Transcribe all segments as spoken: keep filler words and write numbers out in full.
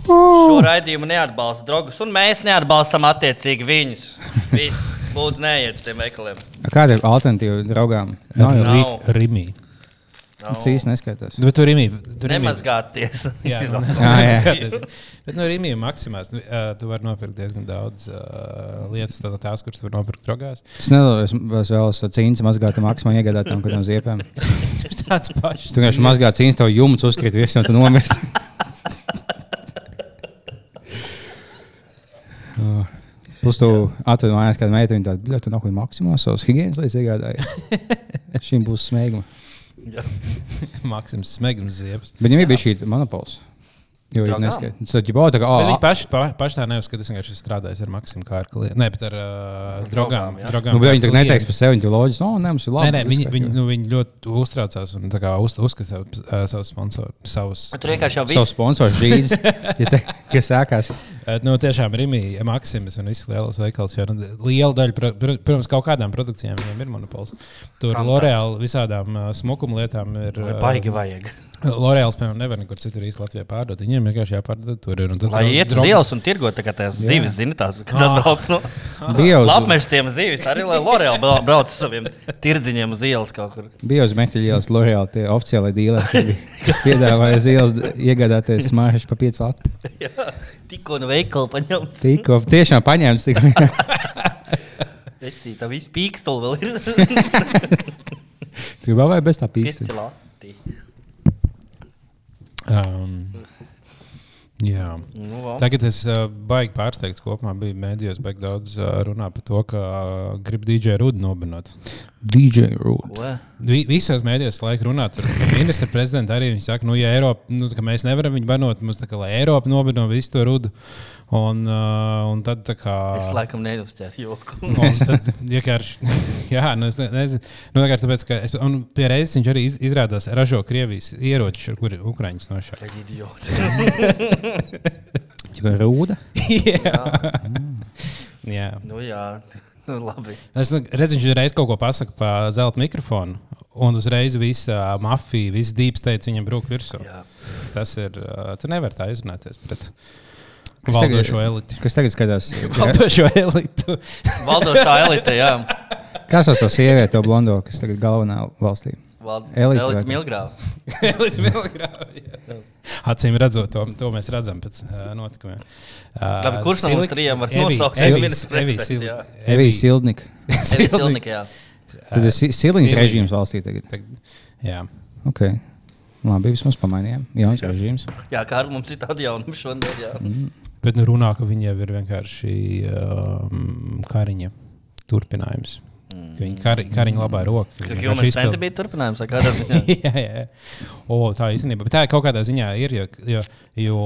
Šo raidījumu neatbalsta draugus, un mēs neatbalstam attiecīgi viņus. Viss, lūdzu, neiet uz tiem veikaliem. Kāda ir alternatīva draugām? Nav. Nav. Rimī. Tas īsti neskaitās. Bet tur Rimī. Nemazgāties. Jā, nemazgāties. Bet no Rimī maksimās. Tu vari nopirkt diezgan daudz uh, lietas, tā, tās, kuras tu vari nopirkt drogās. Es nedomāju, es vēlos cīņas mazgāt maksimā iegādātām kādām ziepēm. Tāds pašs. Tu vienkārši mazgāt cīņas, tev jumts uzkrīt virs, un tu nomirst. Plus tu atvedi mājās kādu meiteni, viņa tāda, bļa, tu nahuj maksimā savas higienas lietas iegādāji. Šīm būs smēguma. Maksims smēgums ziepes. Bet viņam ir bija šī monopols. Jo viņi neskaita. Tad jau tā kā, oh, viņi paši, pa, paši tā neuzskata, es vienkārši strādāju ar Maksimu kā ar klientu. Nē, bet ar uh, drogām. drogām nu, bet viņi tā neteiks par sevi, viņi loģis, no, ne, mums ir labi. Nē, nē, viņi, viņi, nu, viņi ļoti uztraucās un tā kā uz, uzskata savu, uh, savu sponsoru. Savus, tur vienkārši jau viss. Savus sponsors žīdis, ja te, kas sākās. Nu, tiešām Rimī, Maksimis un visas lielas veikals, jo nu, liela daļa, protams, kaut kādām produkcijām viņiem ir monopols. Tur L'Oreal visādām uh, smukuma lietām ir... Uh, Baigi vajag. L'Oreals, piemēram, nevar nekur citur īsti Latvijā pārdot. Viņiem vienkārši jāpārdod tur. Ir, lai iet uz ielas un tirgot tā kā tās zivis, zini, tās, kad ah. atbrauc no Lapmešciem zivis, arī lai L'Oreal brauc saviem tirdziņiem uz ielas kaut kur. Bija uz Meķļa ielas L'Oreal tie oficiālai dīleri, kas piedāvāja uz ielas iegādāties smāršas pa pieci lati. Jā, tikko no veikala paņemts. Tikko, tiešām paņemts. Vecī, tā viss pīkstuli vēl ir. Tu vēl vai bez tā pīkstuli? Pieci lati. Um, jā. Nu, Tagad es uh, baigi pārsteigts kopumā biju mēdījos baigi daudz uh, runā par to, ka uh, grib D J Rudu nobenot. D J Rudu? Vi, visos mēdījos laika runāt ar ministra prezidentu arī viņi saka, nu, ja Eiropa, nu, ka mēs nevaram viņu banot, mums tā kā, lai Eiropa nobeno visu to Rudu. Un, uh, un tad tā kā... Es laikam neuzķēru joku. Un tad vienkārši, jā, nu es ne, nezinu, nu vienkārši tāpēc, ka es, un pie reizes viņš arī iz, izrādās ražo Krievijas ieročus, ar kuri Ukraiņus nošāk. Kā idiots. Ķipa Rūda? Jā. Mm. Jā. Nu jā, nu labi. Es nu, redzu, viņš uzreiz kaut ko pasaka pa zelta mikrofonu, un uzreiz visa mafija, viss deep state viņam brūk virsū. Jā. Tas ir, uh, tu nevar tā izrunāties pret... Kas valdošo tagad, eliti. Kas tagad skatās? Valdošo elitu. Valdošā elite, jā. Kas tas to sievieti, to blondo, kas tagad galvenā valstī? Vald... Elite, elite Milgrāva. Elite Milgrāva, jā. Acīm redzot, to, to mēs redzam pēc uh, notikumiem. Uh, Labi, kurš no mums trījiem var nosaukt? Evijas Sildnika. Evijas Sildnika, jā. Tad ir Sildiņas režīms valstī tagad. tagad. Jā. Ok. Labi, vismaz pamainījām. Jauns režīms. Jā, kā ar mums ir tādi jaunumi šodien, jā. Mm. Bet nu runā, ka viņiem ir vienkārši um, Kariņa turpinājums. Mm. Ka viņi kari, Kariņa labā roka. Ka Human Center bija turpinājums, vai kādā ziņā? jā, jā. O, tā īstenībā. Bet tā kaut kādā ziņā ir, jo, jo, jo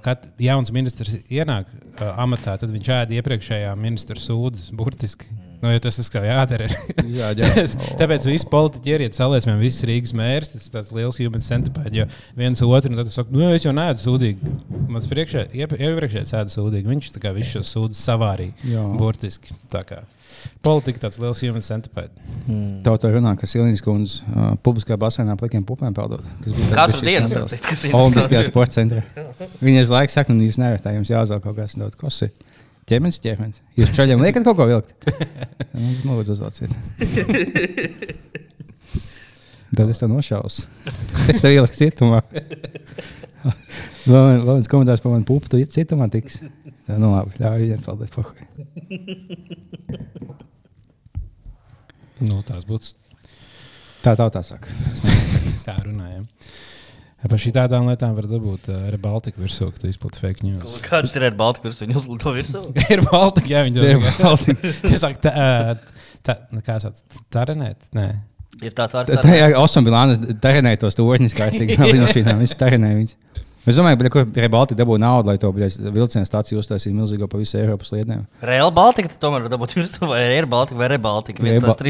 kad jauns ministrs ienāk uh, amatā, tad viņš ēd iepriekšējā ministra sūdzes burtiski. Nu, jo tas tas kā jādara. jā, jā. Tāpēc visi politiķi ieriet salēsmēm, visas Rīgas mērs, tas ir tāds liels human centipēd, jo viens otru, un tad tu saka, nu, es jau neēdu sūdīgi. Mans priekšē, iepriekšējais ēdu sūdīgi, viņš tā kā visu šo sūdzes savārīja, burtiski. Tā kā politika tāds liels human centipēd. Hmm. Tauta runā, ka Sildiņas kundze uh, publiskā basēnā plikiem pupēm peldot. Katru dienu, saprast, kas ir. Olimpiskajā sporta centrā. Viņa uz laiku saka, nu, jūs nevarat tā, jums jāuzvēl kaut kas daudz kosi. Ķermenis, ķermenis. Jūs čaļiem liekat kaut ko vilkt? Nu, lūdzu uzlāciet. Tad es tev nošaus. Es tev ieliku cietumā. Lūdzu, komentārs par manu pupu, tu cietumā tiks. Tā, nu labi, ļauj viņiem peldēt pohuj. Nu, tās būtu... Tā tautā saka. Tā runājam. Par šī tādām lietām var dabūt uh, Air Baltica virsū, ka tu izplati fake news. Kāds ir Air Baltica virsū? Viņi uzlido virsū? Air Baltica, jā, viņi Air Baltica. Es saku, tā, tā, kā sauc, tarenēt? Nē. Ir tāds vārds tarenēt? Tā, jā, Osam Bilānas tarenēja tos torņus kārtīgi. Lidmašīnām, viņš tarenēja viņus. Es domāju, ka Real Baltica dabū naudu, lai to vilcienu stāciju uztaisītu milzīgo pa visu Eiropas lietnēm. Real Baltica tomēr dabūt virsū, vai Air Baltica, vai Real Baltica?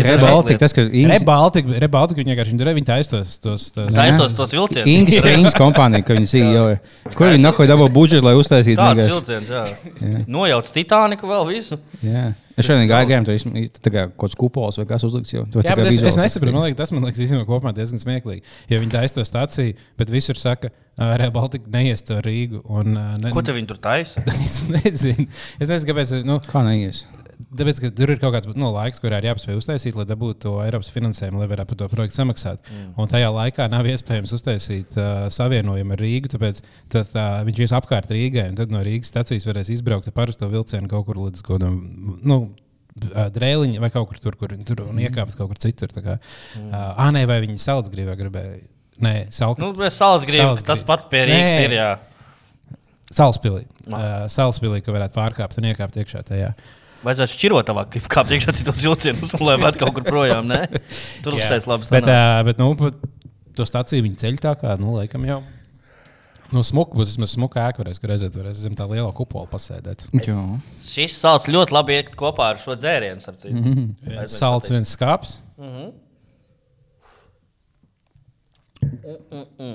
Real Baltica, tas, ka... Real Baltica, Real Baltica, viņi vienkārši, viņi viņi taistos tos... Taistos tos vilcienus. Ingas Springs kompānija, ka viņi C E O. Kur viņi nahoja dabū budžetu, lai uztaisītu? Tāds vilciens, jā. Nojauc Titaniku vēl visu. Jā. Es šodien gāju garām, tur ir kaut kāds kupols vai kas uzlikts jau. Jā, bet es, es nesaprotu, man liekas, tas man liekas īstenībā kopumā diezgan smieklīgi. Jo viņi taisa to staciju, bet visur saka, Rail Baltica neies to Rīgu. Un, ne, ko te viņi tur taisa? Es nezinu. Es nezinu, kāpēc. Nu, Kā neies? Tāpēc, ka tur ir kaut kāds nu, laiks, kurā ir jāpaspēj uztaisīt, lai dabūtu to Eiropas finansējumu, lai varētu par to projektu samaksāt. Mm. Un tajā laikā nav iespējams uztaisīt uh, savienojumu ar Rīgu, tāpēc tas, tā, viņš ies apkārt Rīgai, un tad no Rīgas stacijas varēs izbraukt ar parasto vilcienu kaut kur līdz kaut kādam, nu, Drēliņa vai kaut kur tur, kur tur un iekāpt kaut kur citur. Tā kā, mm. uh, nē, vai viņi Salcgrīvā gribēja? Nē, Salka. Nu, Salcgrīva, tas pat pie Rīgas nē. Ir, jā. Salspilī. Uh, Salspilī, ka varētu pārkāpt un iekāpt iekšā tajā. Vajadzētu šķirotavāk, kā priekšā citos vilcienus, lai vēl kaut kur projām, ne? Tur uztais labi sanāk. Bet, uh, bet, nu, to staciju viņi ceļ tā kā, nu, laikam jau. Nu, smuka būs, vismaz smuka ēka varēs, kur redzēt, varēs zem tā liela kupola pasēdēt. Jā. Šis salts ļoti labi iet kopā ar šo dzērienu, starp citu. Mm-hmm. Salts viens skāps. Mhm. Mm-mm.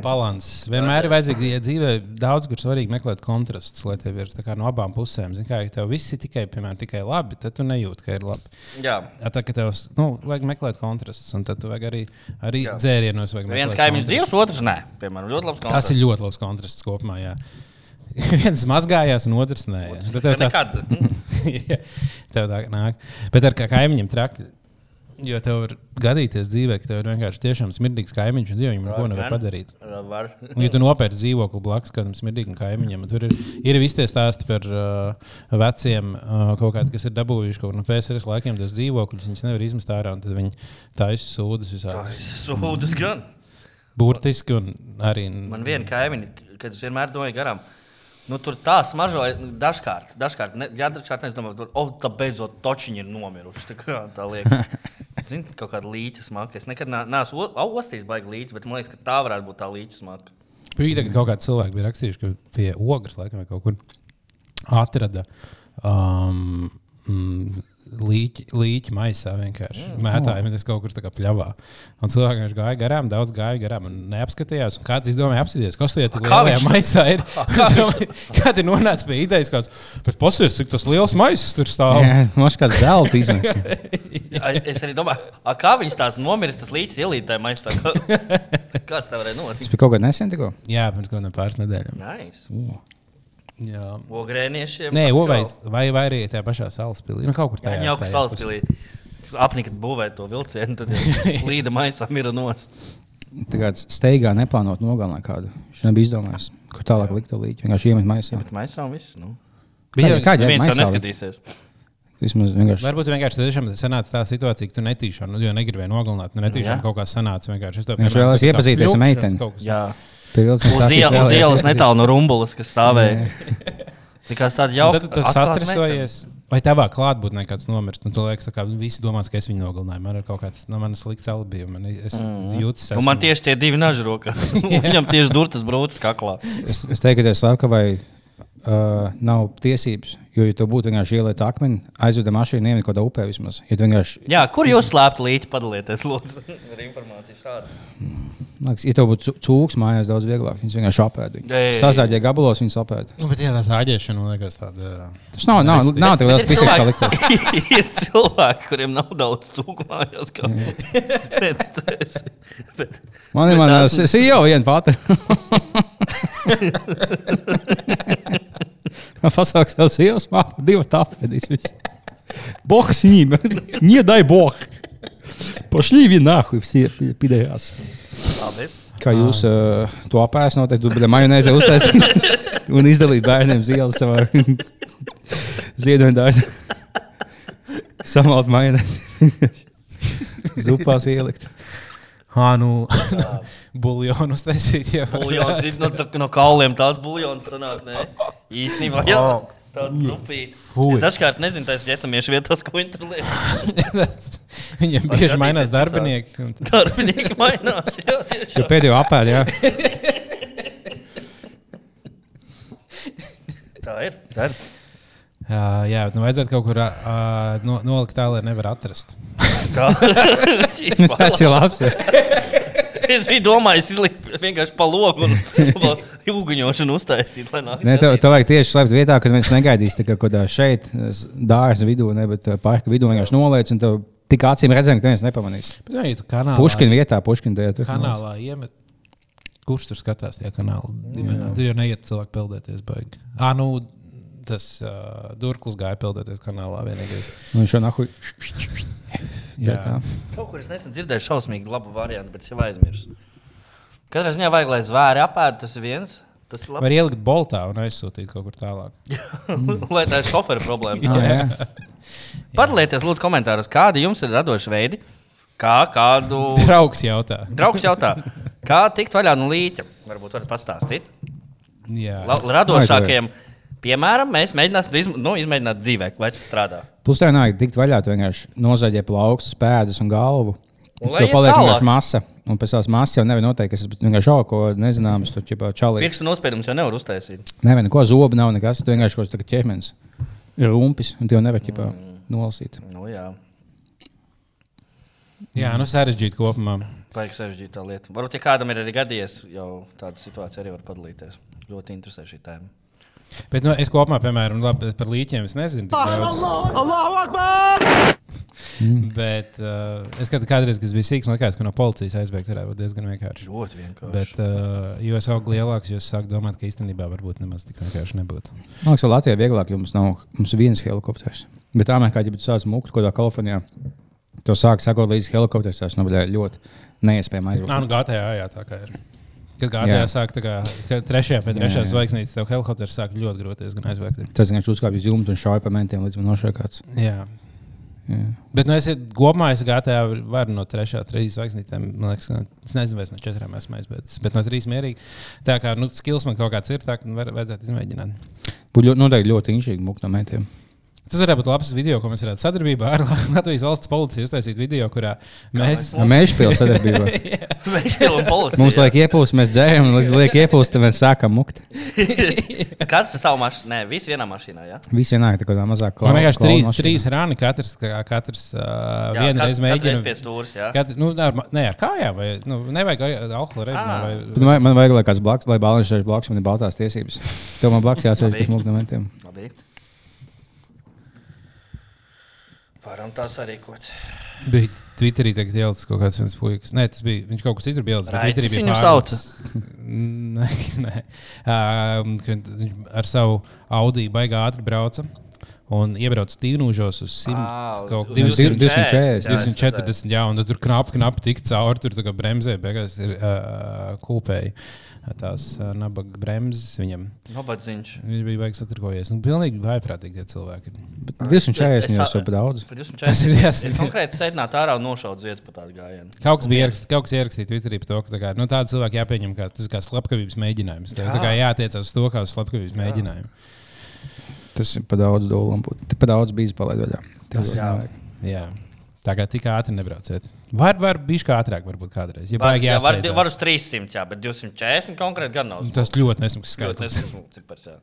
Balanss. Vienmēr ir vajadzīgi, ja dzīvē daudz, kur svarīgi meklēt kontrastus, lai tev ir no abām pusēm. Zini, kā, ja tev viss ir tikai, piemēram, tikai labi, tad tu nejūti, ka ir labi. Jā. Ja, tā, ka tev nu, vajag meklēt kontrastus, un tad tu vajag arī, arī dzērienos. Viens kaimiņš dzīvs, otrs nē. Piemēram, ļoti labs kontrasts. Tas ir ļoti labs kontrasts kopumā, jā. Viens mazgājās, un otrs nē. Otrs tev nekad. Jā, tev tā nāk. Bet ar kā kaimiņiem traki. Jo tev var gadīties dzīvē, ka tev ir vienkārši tiešām smirdīgs kaimiņš, un dzīvojumi neko nevar padarīt. Var. Un, ja tu nopērci dzīvokli blakus kādam smirdīgam kaimiņam, tur ir, ir visi tie stāsti par uh, veciem, uh, kaut kādi, kas ir dabūjuši kaut no P S R S laikiem tos dzīvokļus, viņus nevar izmest ārā, un tad viņi taisa sūdas visādi. Taisa sūdas gan. Burtiski un arī... Man viena kaimiņa, kad es vienmēr domāju garām, nu, tur tā smaržoja dažkārt. Dažkārt, ne, jā, dažkārt es domāju, o, tā beidzot točiņi ir nomiruši. Tā, kā, tā liekas. Zini, kaut kāda līķa smaka. Es nekad neesmu ostījis baigi līķis, bet man liekas, ka tā varētu būt tā līķa smaka. Bija tagad kaut kādi cilvēki bija rakstījuši, ka pie ogras laikam vai kaut kur atrada um, mm, līķi, līķi maisā vienkārši. Mm. Mētāji, bet es kaut kur tā kā pļavā. Un cilvēki vienkārši gāja garām, daudz gāja garām un neapskatījās. Un kāds izdomāja apskatīties, kas lieta lielajā maisā ir. Kādi nonāca pie idejas kāds, bet pasies, cik tas liels maisas tur stāv. Jā, moš kāds zelta izmets. Es arī domāju, a, kā viņš tās nomiris, tas līķis ielītē maisā. Kāds tā varēja notikt? Tas bija kaut kādā nesen tikko? Jā, pirms kaut kādām pāris nedēļām. Nice. Uh. Jā. Ogrēniešiem. Nē, vai, vai, vai arī tajā pašā Salaspilī. Nu, kaut kur tajā. Jā, jau ka Salaspilī apnika būvēt to vilcienu, tad līda maisā mira nost. Tā kā steigā neplānot nogalināt kādu. Viņš nebija izdomājis, kur tālāk likt to līķi. Vienkārši iemet maisā. Bet maisā un viss, nu. Kādi, kādi viens jau neskatīsies. Vismaz vienkārši. Varbūt vienkārši tiešām sanāca tā situācija, ka tu netīšām, nu, jo negribēji nogalināt, nu netīšām kaut kā sanāca vienkārši. Es to viņš vēlēs iepazīties ar meiteni. Jā. Uz ielas netālu no Rumbulas, kas stāvēja. Tikās tāda jauka. Tad tu sastresojies. Vai tavā klātbūtnē kāds nomirst? Un tu liekas, ka visi domās, ka es viņu nogalināju. Man ir kaut kāds no manas slikts alibi. Man, es mm. jūtas, esmu... man tieši tie divi naži rokās. Viņam tieši durtas brūces kaklā. Es, es teiktu, ka Slavka vai uh, nav tiesības. Jo, ja tu būtu vienkārši ieliet akmeni, aizveda mašīnu, iemet kaut kādā upē vismaz. Ja vienkārši... Jā, kur jūs slēptu līķi, padalieties, lūdzu, ar informāciju šādu. Liekas, ja tev būtu cūks mājās daudz vieglāk, viņas vienkārši apēd. Sazāģē gabalos, viņas apēd. Nu, bet jā, tās āģēšana, liekas, tāda... Tas nav, nav, nav, nav tev liels pisīgs, kā liktos. Ir cilvēki, kuriem nav daudz cūku mājās, kā neticēs. Bet... Man ir man, es jau viena pati. Pasauks jau sievas māku, divi tāpēdīs. Бог с ним, не дай Бог. Пошли ви нахуй все пидējās. Kā jūs uh, to apēst noteikti, tu bļa majonēzē uztaisīt un izdalīt bērniem zielas savā ziedoņdāļā. Samalt majonēzi. Zupās ielikt. Ā, nu, buljonu uztaisīt, jā. Buljons, no, no kauliem tāds buljons sanāk, ne? Īstenībā, jā, tāds zupīt. Es dažkārt nezinu, tais vietamiešu vietās, ko viņi tur liek. Viņiem bieži mainās darbinieki. Darbinieki mainās, jā, tiešām. Jo pēdējo apēd, jā. Tā ir, tā ir. Jā, jā, bet nu vajadzētu kaut kur uh, no, nolikt tā, lai nevar atrast. Tas ir labs, jā. Es biju domājis, izlikt vienkārši pa logu un jūguņošanu uztaisīt. Nē, tev, tev vajag tieši slēpt vietā, kad viens negaidīs kaut kādā šeit, dārza vidū, ne, bet parka vidū vienkārši noliec, un tev tik acīm redzam, ka neviens nepamanīs. Bet, ja tu kanālā, Puškina vietā, Puškina tajā. Kanālā iemet. Kurš tur skatās tajā kanālā? Tur jau neiet cilvēki peldēties baigi. Ā, nu, tas uh, Durklis gāja peldēties kanālā vienīgais. Un viņš jau nahuj. Jā. Kaut kur es nesen dzirdēju šausmīgi labu variantu, bet es jau aizmirsu. Katrā ziņā vajag, lai zvēri apēd, tas ir viens. Tas ir var ielikt boltā un aizsūtīt kaut kur tālāk. Lai tā ir šofera problēma. ah, Padalieties lūdzu komentāros, kādi jums ir radoši veidi, kā kādu... Draugs jautā. Draugs jautā. Kā tikt vaļā no līķa? Varbūt varat pastāstīt. Jā. La, radošākiem, piemēram, mēs mēģināsim izm nu, izmēģināt dzīvē, vai tas strādā. Plus tev nāk tikt vaļā, tu vienkārši nozaļie plaukstus, pēdas un galvu. Un tev paliek vienkārši masa. Un pēc tās masas jau nevar noteikt, kas ir vienkārši kaut ko nezināms. Tur ķipā čalīt. Pirkstu nospiedumus jau nevar uztaisīt. Nevar neko zobu nav nekas. Tu vienkārši kaut kas ķermenis ir rumpis un tev nevar ķipā mm. nolasīt. Nu jā. Jā, nu sarežģīt kopumā. Vajag sarežģīt tā lieta. Varbūt, ja kādam ir arī gadījies, jau tāda situācija arī var padalīties. Ļoti interesē šī tēma. Bet nu, es kopumā, piemēram, labi, par līķiem es nezinu. Mm. Bet uh, es kādreiz, kas bija sīks, man liekas, ka no policijas aizbēgt varētu būt diezgan vienkārši. Ļoti vienkārši. Bet, uh, jo es augu lielāks, jo es sāku domāt, ka īstenībā varbūt nemaz tik vienkārši nebūtu. Man liekas, ka Latvijā vieglāk, jo mums nav mums viens helikopters. Bet Amerikā, ja tu sāc mukt kaut kādā Kalifornijā, to sāk sakot līdz helikopters, tas nu, ļoti neiespējami aizbraukt. Nā, nu G T A, jā, tā kā ir. Kad G T A sāk tā kā trešajā pēc trešās zvaigznītes, tev helikopters sāk ļoti grūti diezgan aizbēgt. Tas vienkārši uzkāpj uz jumtu un šauj pa mentiem, līdz man nošaukāts. Jā. Jā. Bet, nu, es kopumā es G T A varu no trešā, trīs zvaigznītēm, man liekas, es nezinu, vai es no četrām esmu aizbēdzis, bet no trīs mierīgi. Tā kā, nu, skills man kaut kāds ir, tā, ka vajadzētu izmēģināt. Būtu noteikti ļoti inšīgi mukt no mentiem. Tas varētu būt labs video, ko mēs varētu sadarbībā ar Latvijas valsts policiju uztaisīt video, kurā mēs... Mēžpili sadarbībā. Mēžpili un policija. Mums liek iepūst, mēs dzējam, un līdz liek iepūst, tad mēs sākam mukt. Kāds ir savu mašīnu? Nē, visi vienā mašīnā, jā? Visi vienā, tā kā tā mazāk klauna. Man vienkārši trīs, trīs rani, katrs, katrs uh, vienreiz mēģina. Katreiz pie stūras, jā? Katr, nu, ar, ne ar kājām, vai, nu, nevajag alkohola reibinā. Vai... Man, man vajag, lai kāds blaks, lai bāliņš šeit blaks, man ir baltās tiesības. Tev man blaks jāsēž pēc mukt no mentiem. Labi. Varam tā sarīkot. Bija Twitterī tagad ielicis kaut kāds viens puikas. Nē, tas bija, viņš kaut kas citur bija ielicis, bet Twitterī bija viņu sauca. Nē, nē. Uh, ar savu Audi baigā ātri brauca un iebrauca Tīnūžos uz divsimt četrdesmit, jā, un tur knapi, knapi tik cauri, tur tā kā bremzē, beigās ir uh, kūpēji. Tās uh, nabaga bremzes viņam. Nabadziņš. Viņš bija baigs satirkojies. Nu, pilnīgi vaiprātīgi tie cilvēki. divsimt četrdesmit jau jau pa daudz. Tas ir jāsaka. Es konkrēti sēdināt ārā un nošaut ziedus pa tādu gājienu. Kaut kas bija ierakstīt, kaut kas ierakstīt Twitterī par to, ka tā kā, nu, tāda cilvēka jāpieņem, kā, tas ir kā slepkavības mēģinājums. Tā, tā kā jātiecās uz to, kā uz slepkavības Jā. mēģinājumu. Tas ir pa daudz dolam. Pa daudz bijis palaid vaļā. Tas jā. Jā. Tā kā tik ātri nebrauciet. Var, var bišķi ātrāk varbūt kādreiz. Ja var, jā, var, var uz trīssimt, jā, bet divsimt četrdesmit konkrēti gan nav. Tas ļoti nesmuks skaitlis. Ļoti nesmuks cipars, jā.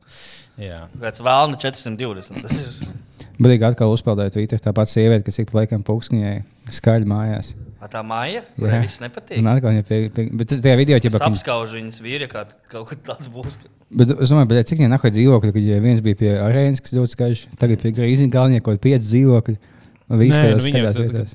Jā. Pēc vēlna četrsimt divdesmit. Tas ir... Badīgi atkal uzpeldēja Twitter. Tā pati sieviete, kas ik pa laikam pūkskņai skaļi mājās. A tā māja? Kurai viss nepatīk? Un atkal viņa pie... pie bet tajā video... Es apskaužu viņas vīri, kā kaut kad tāds būs. Bet es domāju, bet cik viņai nahuj dzīvokļi, kad viens bija pie arēnas, kas ļoti skaļš, tagad pie Grīziņa kalnie kaut pieci dzīvokļi. Un viss, Nē, nu, viņam tad,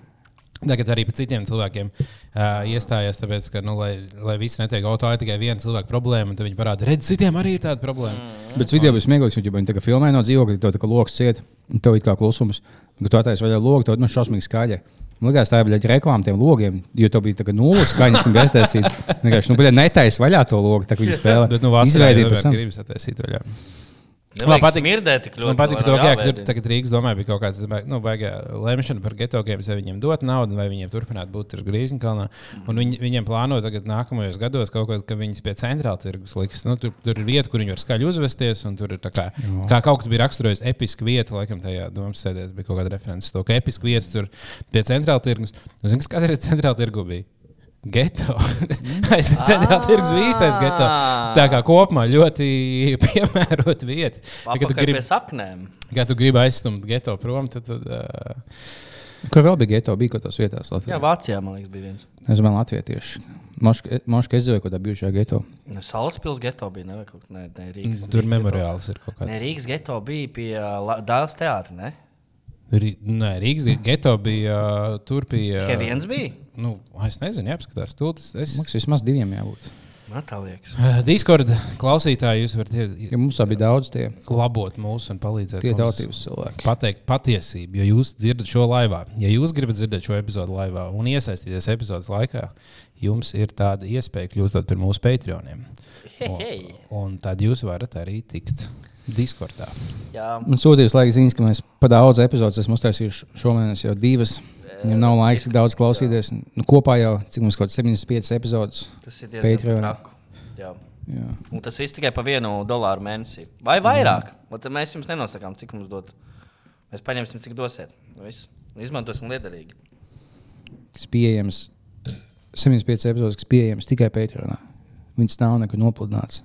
tagad arī par citiem cilvēkiem uh, iestājās, tāpēc, ka, nu, lai, lai visi netiek auto, ir tikai viena cilvēka problēma, un tad viņi parāda, redz, citiem arī ir tāda problēma. Mm. Bet video bija smieklīgs, jo viņi tā kā filmē no dzīvokļa, to tā kā loks ciet, un tev ir kā klusums, un kad tu attaisi vaļā logu, tev nu, šausmīgi skaļi. Man liekas, tā bija reklāma tiem logiem, jo tev bija tā kā nulles skaņas, un bija aiztaisīt. Vienkārši, nu, netaisi vaļā to logu, tā kā viņi spēlē. Bet, nu, vasarā jau gribas attaisīt vaļā. Man patīk smirdēt tik ļoti. Man patīk to, ka tur tagad Rīgas domāja bija kaut kāds, nu, baigā lemšana par geto games, vai viņiem dot naudu, vai viņiem turpināt būt tur Grīziņkalnā. Un viņi, viņiem plāno tagad nākamajos gados kaut ko, ka viņas pie centrāla tirgus liks. Nu, tur, tur ir vieta, kur viņi var skaļi uzvesties, un tur ir tā kā, kā kaut kas bija raksturojis episka vieta, laikam tajā domas sēdēs bija kaut kāda references to, ka episka vieta tur pie centrāla tirgus. Un zini, kas kādreiz centrāla tirgu bija? Geto. Es centrāla tirgus bija īstais geto. Tā kā kopumā ļoti piemērot vieta. Papakaļ pie saknēm. Kad tu gribi aizstumt geto prom, tad... tad uh, Kur vēl bija geto? Bija kaut tās vietās Latvijā? Jā, Vācijā, man liekas, bija viens. Es domāju, Latvijieši. Moška izdzīvoja kaut kādā bijušajā geto. Salaspils geto bija, ne? Kaut, ne, ne Rīgas, Tur Rīgas memoriāls geto. ir kaut kāds. Ne, Rīgas geto bija pie uh, Dāles teātra, ne? Rī, nē, Rīgas geto bija uh, tur pie... Tikai viens bija? Nu, es nezinu, jāapskatās. Tūlis, es... Mums vismaz diviem jābūt. Man tā liekas. Discord klausītāji, jūs varat ja mums bija daudz tie labot mūs un palīdzēt tie mums tautības cilvēki. Pateikt patiesību, jo jūs dzirdat šo laivā. Ja jūs gribat dzirdēt šo epizodu laivā un iesaistīties epizodes laikā, jums ir tāda iespēja kļūstot par mūsu Patreoniem. Un, un tad jūs varat arī tikt Discordā. Jā. Man sūtījis laiks ziņas, ka mēs pa daudz epizodes esam uztaisījuši šomēnes jau divas. Viņam nav laiks tik daudz klausīties. Nu, kopā jau, cik mums kaut septiņdesmit piecas epizodes. Tas ir diezgan traku. Jā. Jā. Un tas viss tikai pa vienu dolāru mēnesī. Vai vairāk. Mm. Mēs jums nenosakām, cik mums dot. Mēs paņemsim, cik dosiet. Viss. Izmantosim liederīgi. Kas pieejams, septiņdesmit piecas epizodes, kas pieejams tikai Patreonā. Viņas nav nekur nopludināts.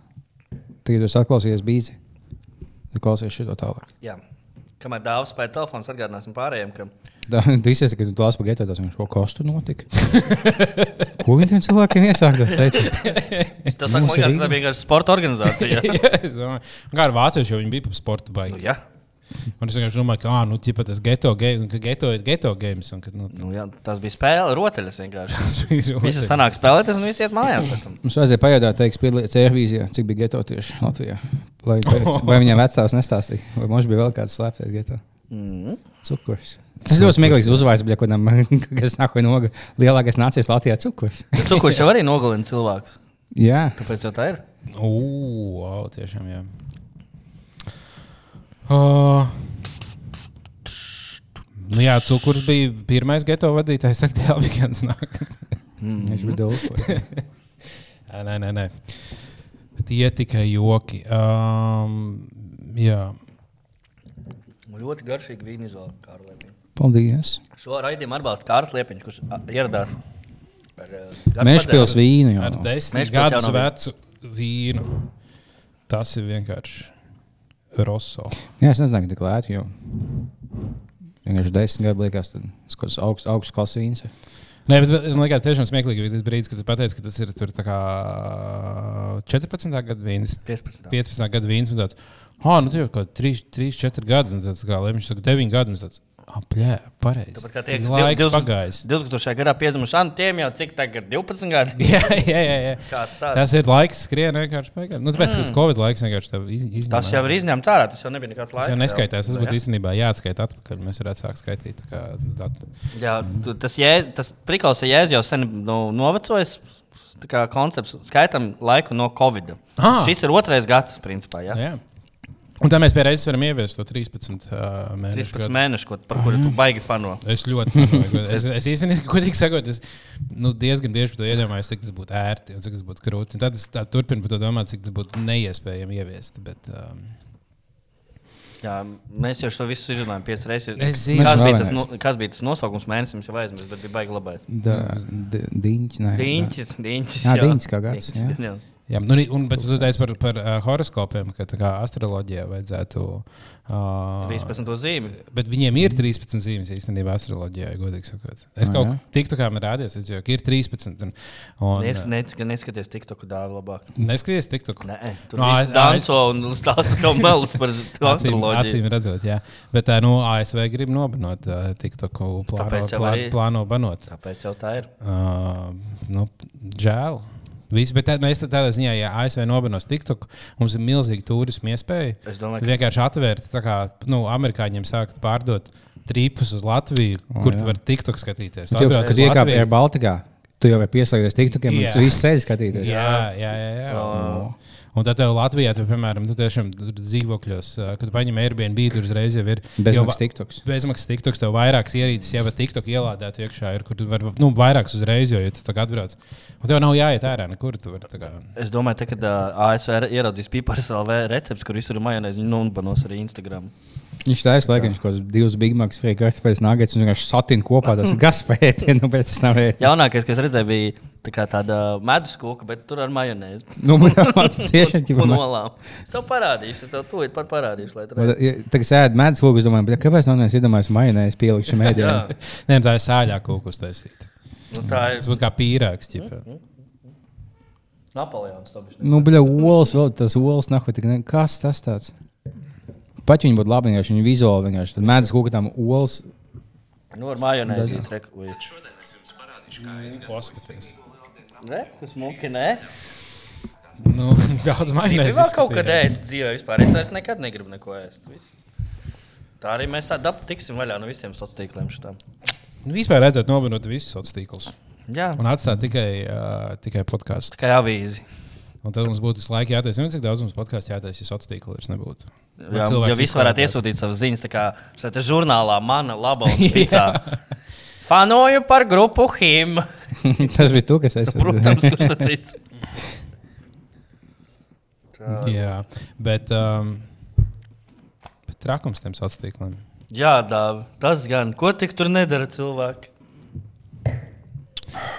Tagad jūs atklausīties bīzi. Tad klausies šito tālāk. Jā. Kamēr dāvas spēja telefons, atgādināsim pārējiem, ka... Tā izsies, ka tu lāsi pa geto, tas viņš ko kostu notika. Ko viņi tiem cilvēkiem iesāktos? Tas saka, man liekas, ka tā bija vienkārši sporta organizācija. Jā, es domāju. Kā ar vācieši, jo viņi bija pa sporta baigi. Nu, jā. Un es vienkārši domāju, ka, ā, nu, ķipa tas geto, game, ka geto ir geto games. Un, ka, nu, nu, jā, tas bija spēle, roteļas vienkārši. Visi sanāk spēlēties un visi iet mājās pēc tam. Mums vajadzēja pajautāt, teiks, piedalīties Airvīzijā, cik bija geto tieši Latvijā. Lai, vai viņiem vecāks nestāstīja, vai mums bija vēl kāds slēpties geto. Mm. Cukurs. Tas ļoti smieklīgs uzvārds, bija kaut kādam, kas nākoja noga. Lielākais nācies Latvijā cukurs. Cukurs jau arī nogalina cilvēkus. Jā. Tāpēc jau tā ir. Ū, wow, tiešām, jā. Uh, nu jā, cukurs bija pirmais geto vadītājs, tagad jā, bija kāds nāk. Mm. Viņš bija dulko. Nē, nē, nē. Tie tikai joki. Um, jā. Ļoti garšīgi vīna izvēle, Kārlis Liepiņš. Paldies. Šo raidījumu atbalsta Kārlis Liepiņš, kurš ieradās ar Mežpils vīnu. Jau. Ar desmit gadus vecu vīnu. Tas ir vienkārši Rosso. Jā, es nezinu, ka tik lēti, jo vienkārši desmit gadu liekas, tad kaut kas augsts augst klases vīns ir. Nē, bet man liekas tiešām smieklīgi, ka tas brīdis, kad tu pateici, ka tas ir tur tā kā četrpadsmitā gada vīns. piecpadsmitā gada vīns. Un tāds, ah, nu tie jau kaut trīs, četri gadi. Un tāds kā Lemviņš saka, deviņi gadi. Un tāds, ah, pļē, pareizi. Tāpat kā tie, kas laiks pagājis. divdesmit gadā piedzimuši, anu tiem jau cik tagad divpadsmit gadi. jā, jā, jā. jā. Tas ir laiks skrien vienkārši pagājis. Nu, tāpēc, ka tas Covid laiks vienkārši tev iz, izņēmā. Tas jau ir izņemts ārā, tas jau nebija nekāds laiks. Tas jau neskaitās, tas būtu īstenībā jāatskaita atpakaļ. Mēs varētu sākt skaitīt. Kā, jā, tas, jēz, tas prikals ir jēz jau sen nu, novecojis. Tā kā koncepts skaitam laiku no Covid. Ah. Šis ir otrais gads, principā, jā. jā. Un tā mēs pie reizes varam ieviest to trīspadsmit uh, mēnešu. trīspadsmit mēnešu, ko, par kuru tu baigi fano. Es ļoti fanoju. es, es īstenībā, godīgi sakot, es nu, diezgan bieži par to iedomājos, cik tas būtu ērti un cik tas būtu krūti. Un tad es turpinu par to domāt, cik tas būtu neiespējami ieviest. Bet, um... Jā, mēs jau to visu izrunājām piecas reizes. Es zinu, kas bija, tas, no, kas bija tas nosaukums mēnesim, jau aizmirst, bet bija baigi labais. Diņķis, nē. Diņķis, diņķis. Jā, diņķis kā gads. Jā. Jā, nu, un, bet tu teici par, par uh, horoskopiem, ka tā kā astroloģijā vajadzētu... Uh, trīspadsmit zīmi. Bet viņiem ir trīspadsmit zīmes īstenībā astroloģijā, godīgi sakot. Es kaut kā tiktu kā man rādījos, es jau ka ir trīspadsmit. Un, un, Nes, nes, neskaties TikToku dāvi labāk. Neskaties TikToku? Nē, tur no, visi danco un stāsta tev melus par astroloģiju. Acīm redzot, jā. Bet uh, nu, A S V grib nobanot uh, TikToku, plāno, plā, plāno banot. Tāpēc jau tā ir. Uh, nu, žēl. Visi, bet tā, mēs tādā ziņā, ja A S V nobanos TikTok, mums ir milzīga turisma iespēja. Es domāju, ka... vienkārši atvērt, tā kā nu, amerikāņiem sākt pārdot trīpus uz Latviju, o, kur jā. Tu vari TikTok skatīties. Tu jau, kad iekāp Air Baltikā, tu jau vari pieslēgties TikTokiem un visu ceļu skatīties. Jā, jā, jā. jā. O. Un tad tev Latvijā, tu, piemēram, tu tiešām dzīvokļos, kad paņem Airbnb, tur uzreiz jau ir bezmaksas TikToks. Bezmaksas TikToks, tev vairākas ierīces, jau var TikTok ielādēt iekšā, ir, kur tu vari, nu, vairākas uzreiz, jo, ja tu tā kā atbrauc. Un tev nav jāiet ārā nekur, tu vari tā kā... Es domāju, te, kad uh, A S V ieraudzīs Pipars L V recepts, kur visur ir majonēzi, viņi nunbanos arī Instagram. Viņš tā aizlaika, viņš kaut kāds divas Big Macs, free kartupēļas nuggets, un vienkārši satina kopā tas gaspēti, nu, bet tas nav ēti. Jaunākais, kas redzēja, bija Tā kā tāda medus kūka, bet tur ar majonēzi. Nu, tiešām tā un olām. Es tev parādīšu, es tev tūlīt pat parādīšu. Tagad sēd medus kūku, es domāju, kāpēc nav neviens iedomājies majonēzi pielikt šim ēdienam? Nē, tā ir sāļā kūka uztaisīta. Nu, tā ir. Tas būtu kā pīrāgs, ķipā. Napoleons to bišķi. Nu, bļa, olas, vēl tas olas, nahu, tik ne... Kas tas tāds? Pat viņi būtu labi, vienkārši viņi vizuāli vienkārši. Tad medus kūka tām olas... Nu, ar majonēzi izrek. Šodien es jums parādīšu, kā ēst. Paskaties. Ne? Tas muki, ne? Nu, daudz majonēzi Gribu vēl kaut kad ēst dzīvē vispār. Es vairs nekad negribu neko ēst. Viss. Tā arī mēs dab, tiksim vaļā no visiem sociāliem šitām. Nu, vispār redzēt nobanot visus sociālos. Jā. Un atstāt tikai, uh, tikai podkāstu. Tikai avīzi. Un tad mums būtu visu laiku jātaisa. Cik daudz mums podkāstu jātaisa, ja sociālos tīkli nebūtu? Jā, ja visi varētu iesūtīt savas ziņas, tā kā šeit žurnālā mana laba un sticā. Fanoju par grupu Him. Tas bija tu, kas esi. Protams, kurš tas cits. Jā, bet, um, bet trakums tiem sociālos tīkliem. Jā, Dāvi, tas gan. Ko tik tur nedara cilvēki?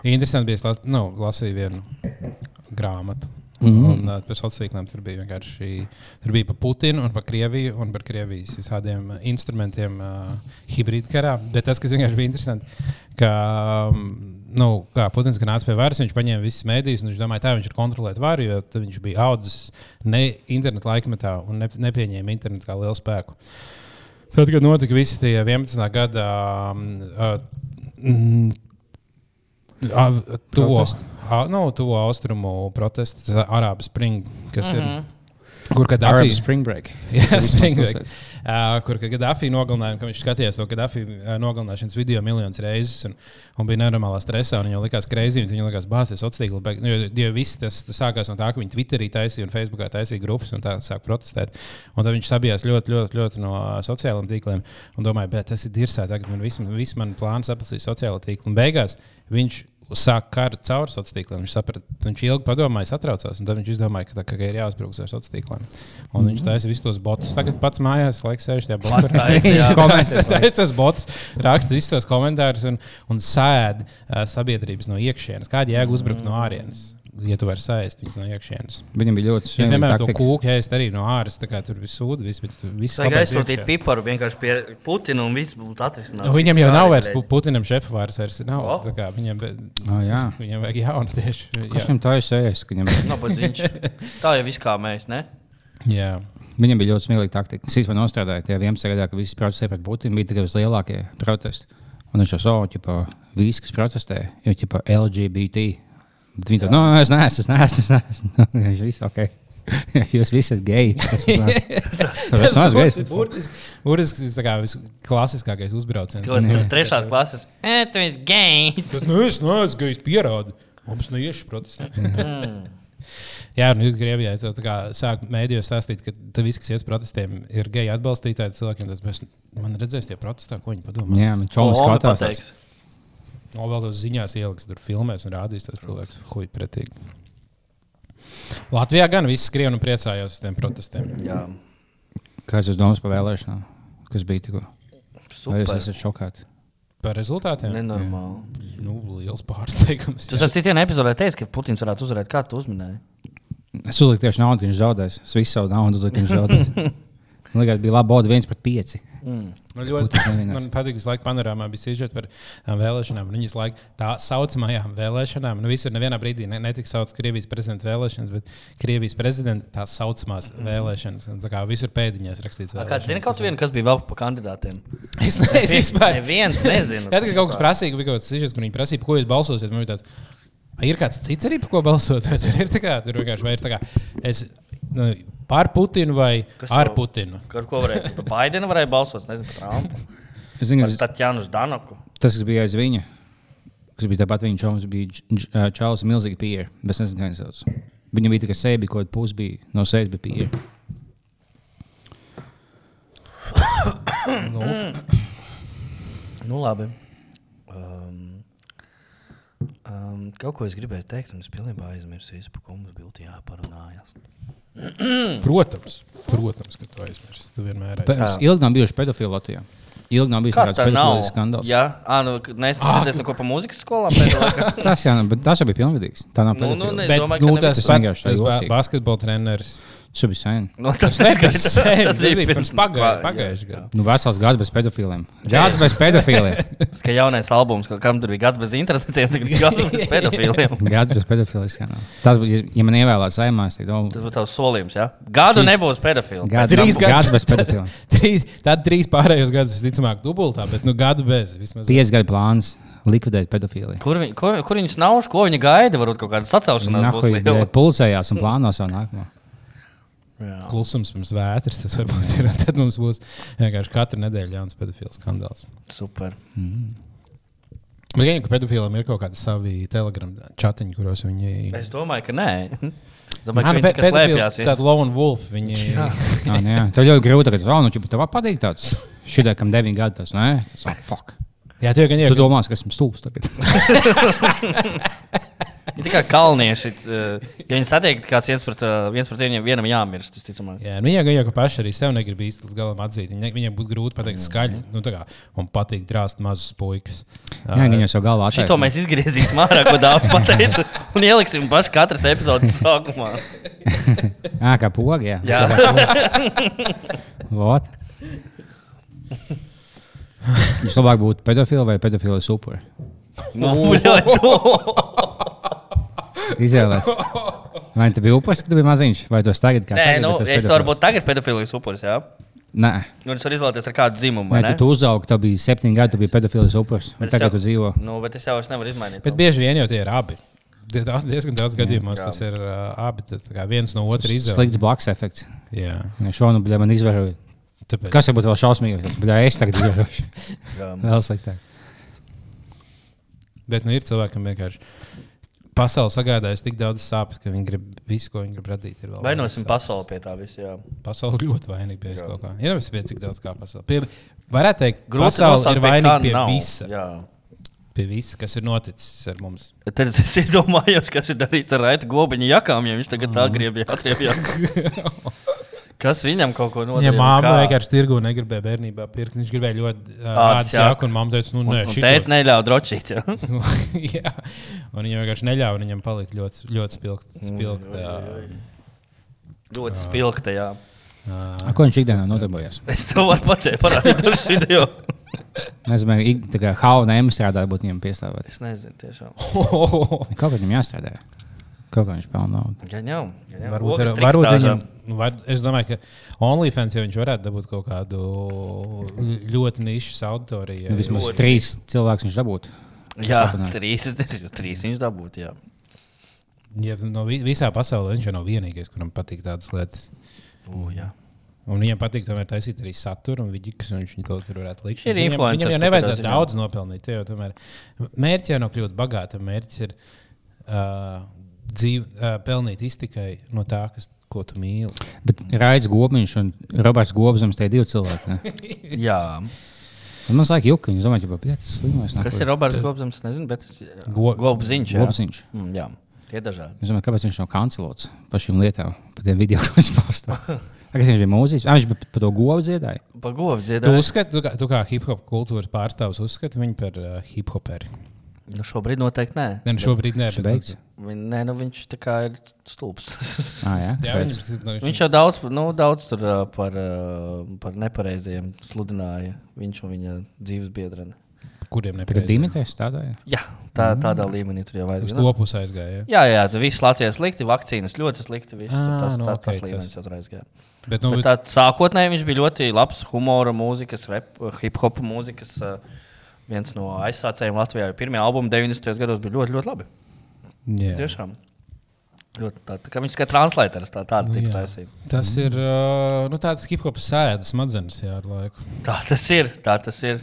Interesanti bija, es nu, lasīju vienu grāmatu. Mm-hmm. Un uh, pēc sociāliem tīkliem tur bija vienkārši tur bija par Putinu un par Krieviju un par Krievijas visādiem uh, instrumentiem uh, hibrīda karā. Bet tas, kas vienkārši bija interesanti, ka um, nu, kā Putins nāca pie varas, viņš paņēma visas mēdījus un viņš domāja, tā viņš ir kontrolēt varu, jo viņš bija audzis ne internetu laikmetā un ne, nepieņēma internetu kā lielu spēku. Tad, kad notika visi tie vienpadsmitā gada um, uh, uh, to, uh, nu, to austrumu protestu, Arābu Spring, kas mm-hmm. ir. Kur Gaddafi Spring Break. Jā, Spring Break. Uh, kur Gaddafi nogalināja, ka viņš skatījās to Gaddafi uh, nogalināšanas video miljonus reizes un, un bija nenormālā stresā. Viņam likās crazy, viņam likās bāzes sociāli tīkli. Nu, jo, jo viss tas, tas sākās no tā, ka viņi Twitterī taisīja un Facebookā taisīja grupas un tā sāk protestēt. Un tad viņš sabijās ļoti, ļoti, ļoti no sociāliem tīkliem un domāja, bet tas ir dirsā, tagad man viss vis man plāns aplasīt sociālo tīklu. Un beigās viņš sāk karu caur sociāliem tīkliem. Viņš saprata, viņš ilgi padomāja, satraucās, un tad viņš izdomāja, ka, tā, ka ir jāuzbrauc ar sociāliem tīkliem. Un mm-hmm. viņš taisa visus tos botus. Tagad pats mājās, laiks sēž tajā botā. Viņš taisa tos botus, raksta visus tos komentārus un, un sēd uh, sabiedrības no iekšienes. Kāda jēga uzbrukt no ārienes? Ja tu vari sēst viņus no iekšienes. Viņam bija ļoti svarīgi. Ja, piemēram, to kūku ēst arī no āras, tā kā tur viss sūda, viss, bet viss labāk iekšē. Aizsūtīt piparu vienkārši pie Putina un viss būtu atrisināts. Viņam jau nav vairs, Putinam šefvārs vairs nav. Oh. Tā kā viņam, oh, jā. Viņam vajag jaunu tieši. Kas viņam tā ir sēst? Viņam... no, tā jau viss kā mēs, ne? Jā. Viņam bija ļoti smieklīga taktika. Es īstenībā nostrādāju tajā vienpadsmitajā gadā, ka visi protestēja pret Putinu, bija tikai vislielākie protesti. Un viņš jau savu, ķipa, visi, kas protestēja, jo, ķipa, L G B T. Bet viņi tā, no, es neesmu, es neesmu, es neesmu. Viņš viss, ok. Jūs visi esat geji. Tas nav gejs. Burtiski tas tā kā visklasiskākais uzbrauciens. Ko es trešās klases? E, tu esi gejs. Tas nu, es neesmu gejs, pierādi. Mums neieši protestēt. Jā, un jūs Krievijā to tā kā sāk mēdījos stāstīt, ka viss, kas ies protestiem, ir geji atbalstītāji cilvēkiem. Tad man redzēs tie protestā, ko viņi padomās. Jā, man čolis skatās. No, vēl tos ziņās ieliks, tur filmēs un rādīs tos cilvēkus. Huj, pretīgi. Latvijā gan viss skrien un priecājās uz tiem protestiem. Jā. Kāds jūs domās par vēlēšanām? Kas bija tikko? Super. Vai jūs esat šokāti? Par rezultātiem? Nenormāli. Nu, liels pārsteigums. Tu ap citiem epizodē teici, ka Putins varētu uzvarēt. Kā tu uzminēji? Es uzliku tieši naudu, ka viņš zaudēs. Es visu savu naudu uzliku, ka viņš zaudēs. Man liekas, bija laba boda viens pret pieci. Mm. Man ļoti man patīk, visu laiku panorāmā bija sižeti par um, vēlēšanām. Viņas laiku tā saucamajām vēlēšanām. Nu, visur nevienā brīdī ne, netika sauc Krievijas prezidenta vēlēšanas, bet Krievijas prezidenta tās saucamās mm. vēlēšanas. Un, tā kā visur pēdiņās rakstīts vēlēšanas. Kāds zina kaut vienu, kas bija vēl pa kandidātiem? Es nezinu vispār. Neviens nezinu. Tad, kad kaut kas prasīja, bija kaut kāds sižets, kur viņi prasīja, par ko jūs balsosiet, man bija tāds, ir kāds cits arī, par ko balsot? Vai tur ir tā kā, tur vienkārši vai ir tā kā, es, nu, par Putinu vai kas ar to, Putinu? Ar ko varēja? Baidena varēja balsot, nezinu, par Trumpu. Es zinu, par Tatjanu Ždanoku. Tas, kas bija aiz viņa, kas bija tāpat viņa čoms, bija Čāls milzīgi pieeja, bet es nezinu, kā viņš sauc. Viņam bija tikai seja, bija kaut kāda pus, bija no sejas bija pieeja. nu. nu, labi. Um, um, Kaut ko es gribēju teikt, un es pilnībā aizmirsu visu, par ko mums būtu jāparunājas. Protams, protams, ka tu aizmirsti. Tu vienmēr Pe- aizmirsti. Ilgi nav bijuši pedofili Latvijā. Ilgi nav bijis Kā kāds tā nav? pedofili skandāls. Jā, ā, nu, neesmu dzirdējis neko par mūzikas skolām. pēdējā laikā. Tas, jā, bet tas jau bija pilngadīgs. Tā nav Nu, nu, pedofili. ne- Bet, domāju, nu, ka tas, nevis- Tas pat, vienkārši tā tas ba jocīgi. basketbola treneris. Tas bija sen. Nu, tas nebija neskaidrs. sen, Tas tas bija bija pirms pagājušā- jā, pagājušā jā. gada. Nu, vesels gads bez pedofiliem. Gads bez pedofiliem. Tas, ka jaunais albums, ka kam tur bija gads bez internetiem, tagad ir gads bez pedofiliem. Gads bez pedofiliem. Jā, nav. Tas, būtu, ja- ja man ievēlēts saimā, es teiktu, Tas būtu tavs solījums, jā? Gadu Šis- nebūs pedofili. Gads, Trīs gads, gads gadus. bez pedofiliem. Trīs, tad trīs pārējos gadus, visticamāk, dubultā, bet nu gadu bez. Vismaz. Pieci gadu plāns likvidēt pedofiliju. Kur, viņi, kur, kur viņi snauž, ko viņi gaida? Varbūt kaut kāda sacelšanās būs Nahuj, liela. pulcējās un plāno savu nākamo. Jā. Klusums pirms vētras, tas varbūt ir. un Tad mums būs vienkārši katru nedēļu jauns pedofilu skandāls. Super. Bet gan jau, ka pedofiliem ir kaut kādi savi telegram chatiņi, kuros viņi. Es domāju, ka nē. Es domāju, Ah, ka nu, viņi pe- tikai pedofili, slēpjās. tāda lone wolf. Viņi. Jā, nē, jā. Tev ļoti grūti, ka oh, nu, tev patīk tāds šitā, kam deviņi gadi. Tas, nē, tas oh, fuck. Jā, tu jau gan jau. Tu domā, ka esmu stulbs tagad. Ir tikai kalnieši. eh, Ja viņi satiek, ka kāds viens pret, eh, viens pret viņiem vienam jāmirst, tas ticamāk. Jā, nu, jā, gan jau, ka paši arī sev negrib īsti līdz galam atzīt. Viņam, viņam būtu grūti pateikt skaļi. Nu, tā kā man patīk drāzt mazus puikas. Jā, viņi jau savu galvā Šito attaisno. mēs izgriezīsim ārā, ko daudz pateica, un ieliksim pašu katras epizodes sākumā. Jā, kā pogi, jā. Jā. Vot. Viņš labāk būtu pedofili vai pedofili upuri. Nu, bļaļ, to. Izvēlēs. Vai tu biji upuris, kad tu biji maziņš, vai tu esi tagad kā Nē, tagad, nu, bet tu esi es pedofils? varu būt tagad pedofilijas upuris, jā? Nē, Nu, es varu izvēlēties ar kādu dzimumu, Nē vai ne? tu, tu uzaugi, tev bija septiņi gadi, tu biji pedofils upuris. Un Bet es tagad jau- tu dzīvo. Nu, bet es jau es nevaru izmainīt. Bet bieži vien jau tie ir abi. Die- daudz- Diezgan daudz gadījumos Jā. tas ir uh, abi. tā kā Viens no otra izvēles. Slikts blakus efekts. Jā, Ja šonu bija man izvēroja. tāpēc. Kas varbūt vēl šausmīgāks? Bet es tagad izvērošu. Jā. Vēl sliktāk. Bet nu, ir cilvēkam vienkārši pasaule sagādājas tik daudz sāpes, ka viņi grib visu, ko viņi grib radīt. ir vēl Vainosim vairāk pasauli sāpes. pie tā visa, jā. Pasaule ļoti vainīga pie kaut kā. Ir jau cik daudz kā pasaule. Pie, varētu teikt, Grūti pasaule nosaukt, ir pie kā vainīga pie nav. visa. Jā. Pie visa, kas ir noticis ar mums. Tad es iedomājos, kas ir darīts ar Raita Gobiņa jakām, ja viņš tagad tā griebja atriebjās. Kas viņam kaut ko nodarīja? Viņa māma vienkārši tirgu negribēja bērnībā pirkt. Viņš gribēja ļoti uh, Ādas ādas jaku. jaku, un mamma teica, nu, Un, nē, un šito- teica, neļauj drošīt. Jā. Jā, un viņam vienkārši neļāva, un viņam palika ļoti, ļoti spilgt. spilgt uh, Ļoti spilgta, jā. uh, A, ko viņš ikdienā nodarbojas? Es tev varu pacēt parādīt dažus video. Nezinu, ik- tā kā H un M strādā, būtu viņam piestāvēt. Es nezinu tiešām. Kaut kā viņam jāstrādā. Kaut kā viņš pelna naudu. Gan jau. gan jau. Varbūt, Ogas ar, varbūt triktāžām. viņam, nu, var, es domāju, ka OnlyFans jau viņš varētu dabūt kaut kādu ļoti nišas auditoriju. Nu, vismaz Ļoti. trīs cilvēkus viņš dabūtu. Jā, sapnē. trīs, es- trīs viņš dabūt, jā. Ja no vi- visā pasaulē viņš jau nav vienīgais, kuram patīk tādas lietas. U, jā. Un viņam patīk tomēr taisīt arī saturu un vidīkus, un viņš to tur varētu likt. Viņš ir Viņam, influenceris viņam jau kaut nevajadzētu kādā ziņā. daudz nopelnīt. Tie Jau, tomēr, mērķis jau nav kļūt bagātam. Mērķis ir uh, dzīv, uh, pelnīt iztikai no tā, kas, ko tu mīli. Bet Raits Gobiņš un Roberts Gobzems, tie divi cilvēki. Ne? jā. Un man liekas, juka, viņš domāja, ka tas ir slimais. Kas ir Roberts Gobzems? Nezinu, bet tas ir Go- Gobziņš. jā. Gobziņš. Mm, jā, tie dažādi. Es domāju, kāpēc viņš nav kancelots par šīm lietām, par tiem video, ko viņš pastāv. Kas viņš bija mūziķis? Ah, viņš bija par to govu dziedāju. Pa govu Tu dziedāju. uzskati, tu, kā- tu kā hip-hop kultūras pārstāvs, uzskati viņu par uh, hip-hoperi. Nu, šobrīd noteikti nē. Ne, nu šobrīd nē, Viņš bet beigts. Viņ, nē, nu viņš tā kā ir stulbs. Ah, jā, Jā, Kāpēc? viņš, nu, Viņš jau daudz, nu, daudz tur ā, par, ā, par nepareiziem sludināja. Viņš un viņa dzīves biedrene. kuriem Tagad nepareizi. Dimitris strādāja. Jā, tā, tādā līmenī tur jau Uz vajag. to pusi aizgāja. Ja? Jā, jā, tas viss Latvijas slikti, vakcīnas ļoti slikti. Viss, Ā, tas nu, tā, ok, tas tas- līmenis jau tur aizgāja. Bet, nu, Bet tā, sākotnēji viņš bija ļoti labs humora mūzikas, rap, hip-hop mūzikas. ā, Viens no aizsācējiem Latvijā. Pirmie albumi deviņdesmitajos gados bija ļoti, ļoti labi. jā. Tiešām. Ļoti tā, tā kā viņš tikai translators tā, tādu Nu, tipu jā. taisīja. Tas ir uh, nu, tāds hip-hop sēdes smadzenes jā, ar laiku. Tā tas ir. Tā tas ir.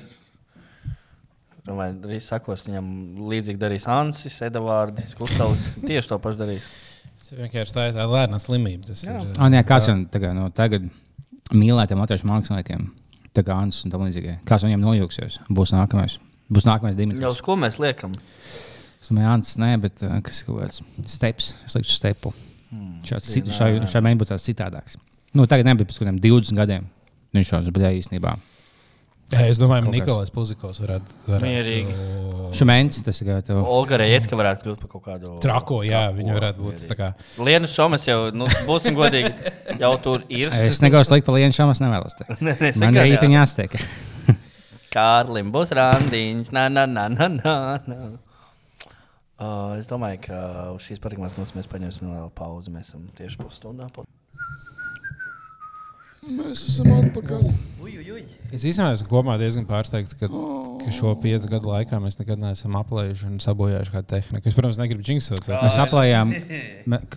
Domāju, drīz sakos, viņam līdzīgi darīs Ansis, Edvards, Kustavs. Tieši to pašu darīs. Tas vienkārši tā ir tā lēna slimība. Tas Jā. ir, Ah, nē, kāds jau tagad, no tagad mīlētiem latviešu māksliniekiem, tā kā Ansis un tam līdzīgi. Kāds viņam nojūksies? Būs nākamais. Būs nākamais Jau Dimitris. uz ko mēs liekam? Es domāju, Ants, nē, bet uh, kas ir kaut kāds steps. Es likšu stepu. Hmm. Šāds cit, šai, šai mēģi būtu tāds citādāks. Nu, tagad nebija pēc kādiem divdesmit gadiem. Viņš šāds bija īstenībā. Jā, es domāju, ka Nikolais Puzikovs varētu... varētu Mierīgi. Šumēns, tas ir kā tev... Olga Rejecka varētu kļūt par kaut kādu... Trako, jā, viņa varētu būt tā kā... Lienu Šomas jau, nu, būsim godīgi, jau tur ir. Es negaušu likt par Lienu Šomas nevēlos teikt. Ne, ne, Man saka, rīt viņa jāsteik. Kārlim būs randiņš, na, na, na, na, na, na. Uh, es domāju, ka uz šīs patīkamās mūsu mēs paņemsim vēl pauzi. Mēs esam tieši pusstundā. Mēs esam atpakaļ. Uj, uj, uj. Es īstenībā esmu kopumā diezgan pārsteigts, ka, ka šo piecu gadu laikā mēs nekad neesam aplējuši un sabojājuši kādu tehniku. Es, protams, negribu džinksot. Mēs aplējām,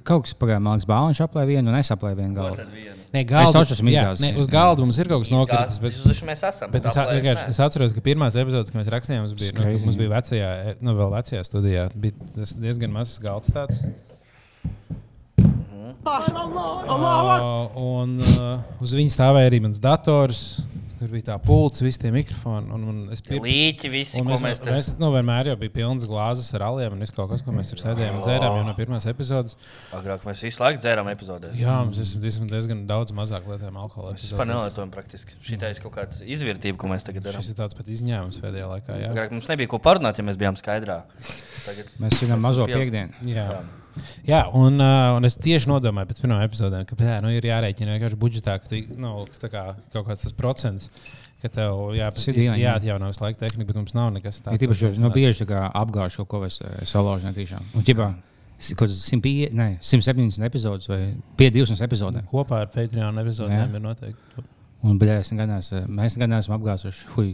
kaut kas pagāja, man liekas, Bāliņš aplēja vienu un es aplēju vienu galdu. Nē, galdu, es esmu jā, izgāzis. ne, uz galdu mums ir kaut kas nokritis. Bet, bet, mēs esam, bet es, vienkārši, es atceros, ka pirmās epizodes, kad mēs rakstījām, mums bija, nu, mums bija vecajā, nu, vēl vecajā studijā. Bija tas diezgan mazs galds tāds. Uh, un uh, uz viņa stāvēja arī mans dators. Tur bija tā pults, visi tie mikrofoni. Un, un es pir... Līķi visi, un ko mēs... mēs te... Mēs, nu, vienmēr jau bija pilnas glāzes ar aliem un viss kaut kas, ko mēs tur sēdējām un dzērām jau no pirmās epizodes. Agrāk mēs visu laiku dzērām epizodēs. Jā, mums esam diezgan daudz mazāk lietojam alkohola Mēs epizodēs. vispār nelietojam praktiski. Šitā ir kaut kāds izvērtība, ko mēs tagad darām. Šis ir tāds pat izņēmums pēdējā laikā, jā. Agrāk mums nebija ko parunāt, ja mēs bijām skaidrā. Tagad Mēs svinam mazo piekdienu. Jā. Jā, un, uh, un es tieši nodomāju pēc pirmām epizodēm, ka jā, nu, ir jārēķina vienkārši budžetā, ka tu, nu, ka kā, kaut kāds tas procents, ka tev jā, jāatjauno visu laiku tehnika, bet mums nav nekas tāds. Ir tīpaši, nu, bieži apgāž kaut ko vai salauž netīšām. Un ķipā, kaut simt septiņdesmit epizodes vai pie divsimt epizodēm. Kopā ar Patreon epizodēm ir noteikti. Un, bļā, es negadās, mēs nekad neesam apgāzuši, hui,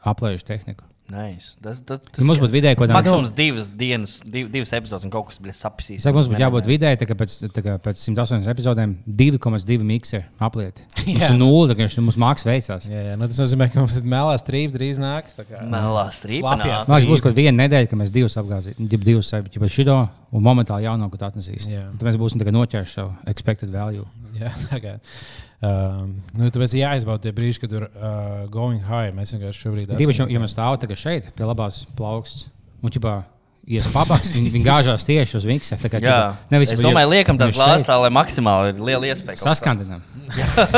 aplējuši tehniku. Nice. Tas, tas, tas, ja mums būtu vidēji kaut kādā maksimums divas dienas, div, divas epizodes un kaut kas bija sapisīs. Saka, mums būtu jābūt vidēji, tā kā pēc, tā kā pēc simt astoņdesmit epizodēm divi komats divi mikseri aplieti. Mums ir nulle, tā kā mums māks veicās. Jā, jā, nu tas nozīmē, ka mums ir melā strīpa drīz nāks. Melā strīpa nāks. Man liekas, būs kaut viena nedēļa, ka mēs divus apgāzīsim, divus saipķi par šito un momentāli jaunāku tā atnesīs. Tad mēs būsim tagad noķēruši savu expected value. Jā, tagad. Um, nu, tāpēc jāizbauda tie brīži, kad tur uh, going high. Mēs vienkārši šobrīd esam. Tīpaši, ja mēs stāvam tagad šeit, pie labās plauksts, un ķipā ies pabaks, viņi, viņi gāžās tieši uz mikse. Tā kā, jā, ķipā, nevis, es domāju, liekam tās glāzes tā, lai maksimāli ir liela iespēja. Saskandinām.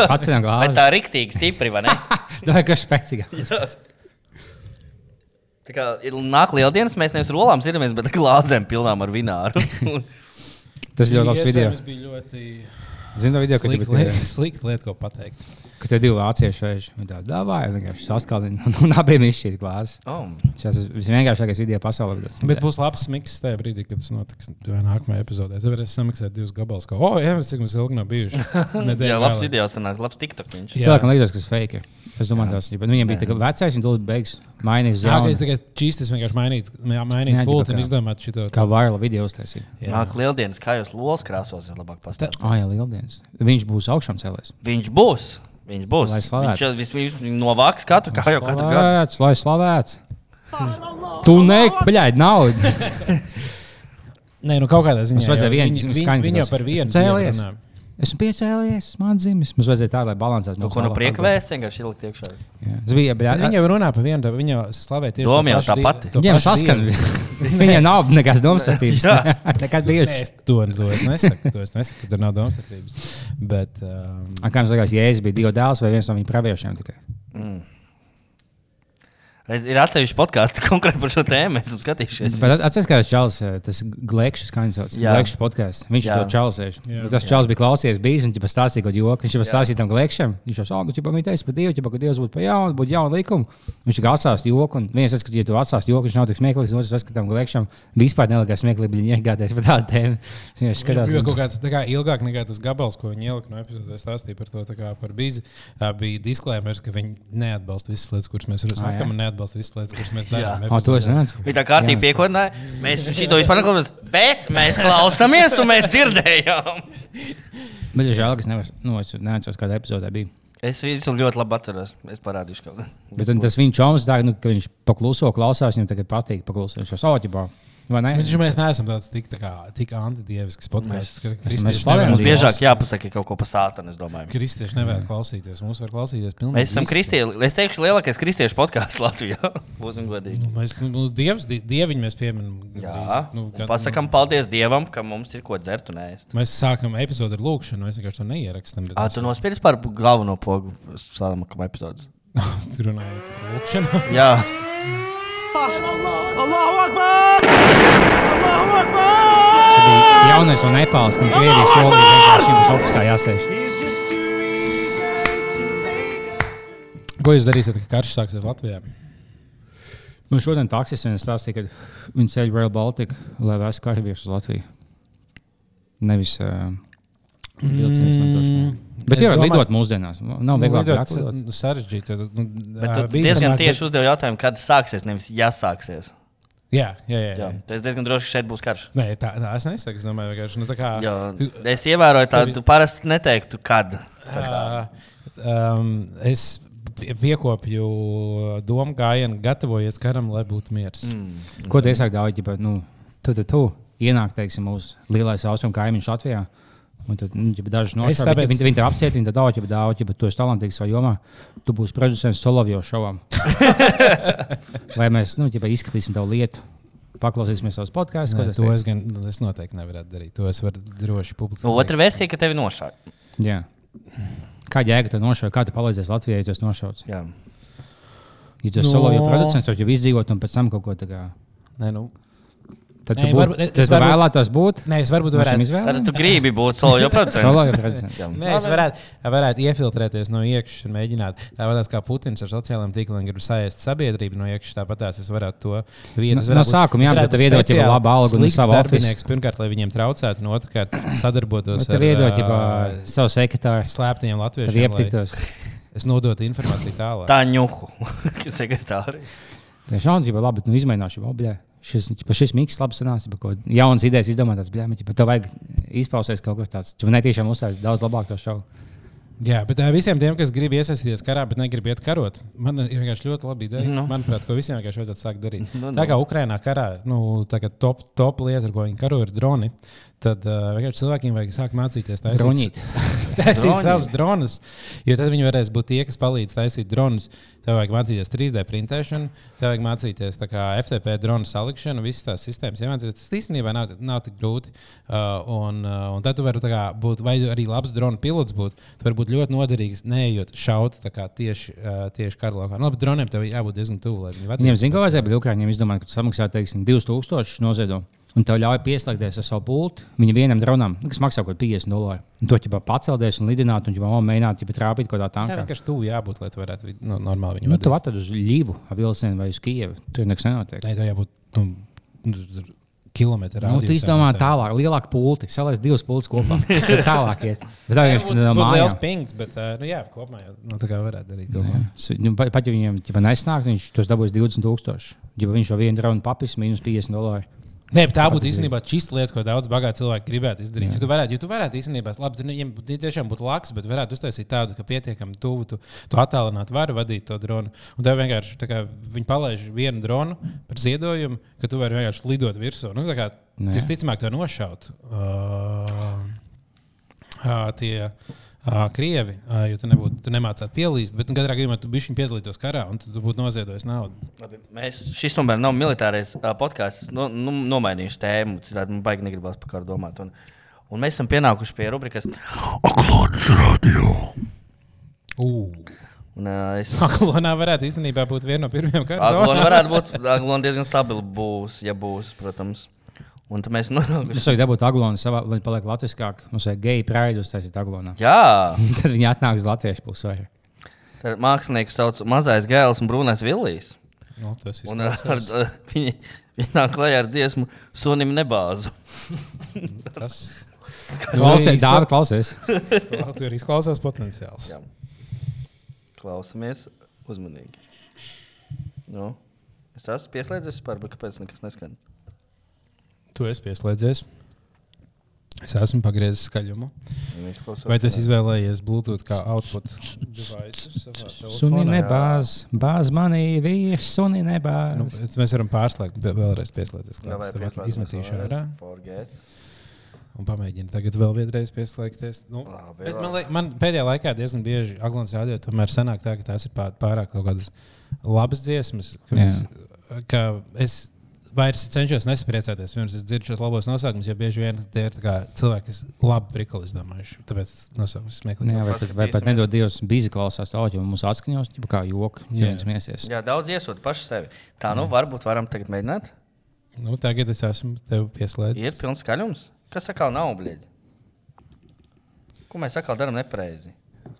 Atcinām glāzes. Bet tā riktīgi stipri, vai ne? Tā ir kā spēcīga. Tā kā ir nāk lieldienas, mēs nevis rolām sirdamies, bet glāzēm pilnām ar vināru. Tas ļoti labs video. Tas bija ļoti... Zinu, video, ka slikta lieta, slikta lieta, ko pateikt. Ka tie divi vācieši vēži, viņi tā davāja, vienkārši saskaldina un abiem izšķīt glāzes. Oh. Šis ir visvienkāršākais video pasaulē. Bet būs labs miks tajā brīdī, kad tas notiks nākamajā epizodē. Es varēšu samiksēt divus gabalus, ka, o, jā, mēs cik mums ilgi nav bijuši. Jā, labs video sanāk, labs TikTok viņš. Cilvēkam liekas, ka tas fake ir. Es domāju, tas ir. Viņam bija tā vecais, un tūlīt beigas mainīt uz jaunu. Jā, es tikai čīstis vienkārši mainīt, mainīt pulti un izdomāt šito. Kā viral video uztaisīt. Nāk lieldienas, kā jūs lolas krāsos ir labāk pastāstīt. Ā, jā, lieldienas. Viņš būs augšām cēlēs. Viņš būs. Viņš būs. Viņš viņš novāks katru, kā jau katru gadu. Slavēts, lai slavēts. Tu nek, bļaid, naudu. Nē, nu kaut kādā ziņā. Mums vajadzēja vienu skaņu. Viņa par vienu cēlies. Esmu piecēlies, man dzimis. Mums vajadzēja tā, lai balansētu. Tu ko no prieka vēst, vienkārši ielikt iekšā. Viņa jau runā par vienu, viņa slavē tieši Doma jau tā pati. Viņam saskan. Viņa nav nekas domstarpības. Nekad bijuši. To es nesaku, to es nesaku, ka tur nav domstarpības. Bet... Um... Kā jums likās, Jēzus bija divi dēls vai viens no viņa praviešiem tikai? Mm. Ir atsevišķi podkāsti konkrēti par šo tēmu. Mēs esam skatījušies. Bet atceries, kā tas čalis, tas Glekšs, kā viņš sauc, Glekšs podkāsts. Viņš ir to čalis. Tas čalis bija klausies bijis un ķipa stāstīja kaut joku. Viņš jau stāstīja tam Glekšam. Viņš jau sāka, ķipa viņa teica par Dievu, ķipa, ka Dievs būtu pa jaunu, būtu jauna likuma. Viņš tikai atsāst joku. Un viens atskatīt, ja tu atsāst joku, viņš nav tik smieklīgs. Otrs atskatīt tam Glekšam. Vispār nelikās smieklīgi, viņi iegādāties par tādu tēmu. Viņš skatās. Jo kaut kāds tā kā ilgāk nekā tas gabals, ko viņi ielika no epizodes, stāstīja par to tā kā par bīzi, bija disklēmers, ka viņi neatbalsta visas lietas, kuras mēs sakām, un neatbalsta visas lietas, kuras mēs darām. O, to es nezinu. Viņa tā kārtīgi piekodināja. Mēs šito vispār neklausāmies, bet mēs klausāmies un mēs dzirdējām. Bet ir žēl, ka es nevar, nu, es neatceros, kādā epizodē bija. Es visu ļoti labi atceros. Es parādīšu kaut ko. Bet tas viņa čoms, tā, nu, ka viņš pakluso klausās, viņam tagad patīk paklusot. Viņš jau sautībā. Vai ne? Mēs, mēs neesam tāds tik, tā kā, tik antidievisks podcasts, ka mēs kristieši slavenam Mums nevar biežāk klausīt- jāpasaka kaut ko pa sātanu, es domāju. Kristieši nevar klausīties. Mums var klausīties pilnīgi Mēs esam visi. kristieši. Es teikšu, lielākais kristiešu podkāsts Latvijā. Būsim godīgi. Nu, mēs, nu, dievs, die- dieviņu mēs pieminam. Jā, gandrīz. Nu, un pasakam paldies Dievam, ka mums ir ko dzert un ēst. Mēs sākam epizodu ar lūkšanu, mēs vienkārši to neierakstām. Ā, tu nospiedzi par galveno pogu sāmakam epizodes. Tur runājam par lūkšanu. Jā. Jaunais un Nepāls, kam Krievijas solīja vienkārši jums ofisā jāsēž. Ko jūs darīsiet, kad karš sāksies Latvijā? Nu, šodien taksis vien stāstīja, ka viņi ceļ Rail Baltica, lai vēstu karavīrus uz Latviju. Nevis uh, vilcienu izmantošanai. Bet Es jau domāju- lidot mūsdienās. Nav vieglāk Lidot lidot. sarežģīti. Nu, Bet ā, tu diezgan bīstamāk, tieši bet- uzdevi jautājumu, kad sāksies, nevis ja sāksies. Jā, jā, jā. Jā. jā. Tas diezgan droši, ka šeit būs karš. Nē, tā, tā es nesaku. Es domāju, vienkārši. Nu, tā kā, Jā. tu, Es ievēroju tādu, tevi- tu parasti neteiktu, kad. Tā kā. ā, um, es pie- piekopju domu gājienu, gatavojies karam, lai būtu miers. Mm. Ko tu iesāki daudz, ja nu, tu, tu, tu ienāk, teiksim, mūsu lielais austrumu kaimiņš Latvijā. Un tad, nu, ja daži nošauj, tāpēc- viņi, viņi tev apciet, viņi tad daudz, ja daudz, ja tu esi talantīgs savā jomā, tu būsi producents Solovjo šovam. Vai mēs, nu, ja izskatīsim tavu lietu, paklausīsimies savus podkāstus, ko Nē, tas to teiks? es, gan, es noteikti nevaru darīt. To es varu droši publiski. Nu, otra versija, ka tevi nošāva. Jā. Kā jēga tev nošauj, kā tu palīdzēsi Latvijai, ja tu esi nošauts? Jā. Ja tu esi No. Solovjo producents, tad jau izdzīvot un pēc tam kaut ko tā kā. Nē, nu. Tad Nē, tu, būt, varbūt- es tad tu varbūt- vēlētos būt. Nē, es varbūt no šīm varētu. izvēlēm? Tad tu gribi būt solo jau producents. Solovjo producents. Jā. Nē, es varētu, varētu iefiltrēties no iekšas un mēģināt. Tāpat kā Putins ar sociālajiem tīkliem grib saēst sabiedrību no iekšas, tāpat es varētu to vietu. No- no sākuma, jā, bet tev iedot jau labu algu un savu darbinieks. Pirmkārt, lai viņiem traucētu, un otrkārt, sadarbotos Tev iedot jau savu sekretāru, slēptajiem tev latviešiem. lai iepatiktos. Es nodotu informāciju tālāk. Tā ņuhu. Sekretāri. Tiešām, ja labi, nu izmēģināšu, jau bļā. Šis, ķipa, šis miks labs sanās, ja kaut ko jaunas idejas izdomātās, bļā, bet tev vajag izpausties kaut ko tāds. Tu netiešām uzstāst daudz labāk to šovu. Jā, bet uh, visiem tiem, kas grib iesaistīties karā, bet negrib iet karot, man ir vienkārši ļoti labi ideja. Nu. Manuprāt, ko visiem vienkārši vajadzētu sākt darīt. Nu, nu. Tā kā Ukrainā karā, nu, tā kā top, top lieta, ar ko viņi karo, ir droni. Tad uh, vienkārši cilvēkiem vajag sākt mācīties taisīt, Dronīt. taisīt Droni. savus dronus. Jo tad viņi varēs būt tie, kas palīdz taisīt dronus. Tev vajag mācīties trīs D printēšanu, tev vajag mācīties tā kā F T P dronu salikšanu, visas tās sistēmas. Iemācīties. Tas īstenībā nav, nav tik grūti. Uh, un, uh, un tad tu vari tā kā būt, vai arī labs drona pilots būt. Tu vari būt ļoti noderīgs, neejot šaut tā kā tieši, uh, tieši kara laukā. Nu, labi, droniem tev jābūt diezgan tuvu, lai viņi vadītu. Viņiem zina, ko vajadzēja, bet Ukrāņiem izdomāja, ka tu samaksā, teiksim, divus tūkstošus noziedo. Un tev ļauj pieslēgties ar savu pultu viņa vienam dronam, kas maksā kaut ko piecdesmit dolāru. Un to jau pacelties un lidināt, un jau mēģināt jau trāpīt kaut kādā Tā tankā. vienkārši tuvu jābūt, lai tu varētu vid- nu, normāli viņu Nu, vadīt. tu atradi uz Ļīvu, ar vilcienu vai uz Kijevu. Tur nekas nenotiek. Nē, tev jābūt nu, nu, kilometru Nu, tu izdomā tālāk, lielāku pulti, saliec divus pultus kopā. Tad tālāk iet. Bet tā vienkārši no būtu liels mājām. pings, bet uh, nu, jā, kopumā jau nu, tā kā varētu darīt. Jā. Kopumā. S- Nu, pat, pat ja viņiem ķipa nesnāks, viņš tos dabūs divdesmit tūkstoši. Ja viņš jau vienu dronu papis, mīnus piecdesmit dolāri. Nē, bet tā būtu īstenībā čista lieta, ko daudz bagāti cilvēki gribētu izdarīt. Ja tu varētu, ja tu varētu īstenībā, labi, tu viņiem būtu- tiešām būtu laks, bet varētu uztaisīt tādu, ka pietiekami tuvu tu, tu attālināti vari vadīt to dronu. Un tev vienkārši tā kā viņi palaiž vienu dronu par ziedojumu, ka tu vari vienkārši lidot virsū. Nu, tā kā Nu, jā. visticamāk to nošaut. Uh, uh, tie, Uh, Krievi, uh, jo tu, nebūtu, tu nemācītu pielīst, bet nu, katrā gadījumā tu bišķiņ piedalītos karā un tu, tu būtu noziedojis naudu. Labi, mēs, šis tomēr nav militārais uh, podkāsts. No, nu, nomainījuši tēmu, citādi man baigi negribas par kādu domāt. Un, un mēs esam pienākuši pie rubrikas Aglons radio. Uh. Un, uh, es... Aglonā varētu īstenībā būt viena no pirmajām kara Aglona zonām. varētu būt. Aglona diezgan stabila būs, ja būs, protams. Un tad mēs nonākuši. Es varu dabūt aglonu, savā, lai paliek latviskāk. Mums vajag geju praidu uztaisīt aglonā. Jā, Tad viņi atnāks uz latviešu pusi vairāk. tad mākslinieks sauc Mazais Gēls un Brūnais Villijs. Nu, tas Un ar, izklausās. ar, viņi, viņi nāk klajā ar dziesmu Sunim nebāzu. Tas Klausies, dārgi, klausies. tur izklausās potenciāls. Jā. Klausamies uzmanīgi. Nu, es esmu pieslēdzies par, bet kāpēc nekas neskan? Tu esi pieslēdzies. Es esmu pagriezis skaļumu. Vai tu izvēlējies Bluetooth kā output device? Suni nebāz, bāz manī vīrs, suni nebāz. Nu, mēs varam pārslēgt, vēlreiz pieslēgties. Izmetīšu ārā. Un pamēģinu tagad vēl vienreiz pieslēgties. Nu, bet man, liek, man pēdējā laikā diezgan bieži Aglons radio tomēr sanāk tā, ka tās ir pārāk kaut kādas labas dziesmas, ka, mēs, ka es vairs cenšos nesapriecāties, pirms es dzirdu šos labos nosaukumus, jo bieži vien tie ir cilvēki, kas labi prikoli izdomājuši. Tāpēc nosaukumus smieklīgi. Jā, vai pat, vai pat nedod Dievs bīzi klausās to audio, mums atskaņos, kā joku, ja viņas miesies. Jā, daudz iesūt paši sevi. Tā, nu, varbūt varam tagad mēģināt? Nu, tagad es esmu tev pieslēdis. Ir pilns skaļums? Kas atkal nav, bļieģi? Ko mēs atkal daram nepareizi?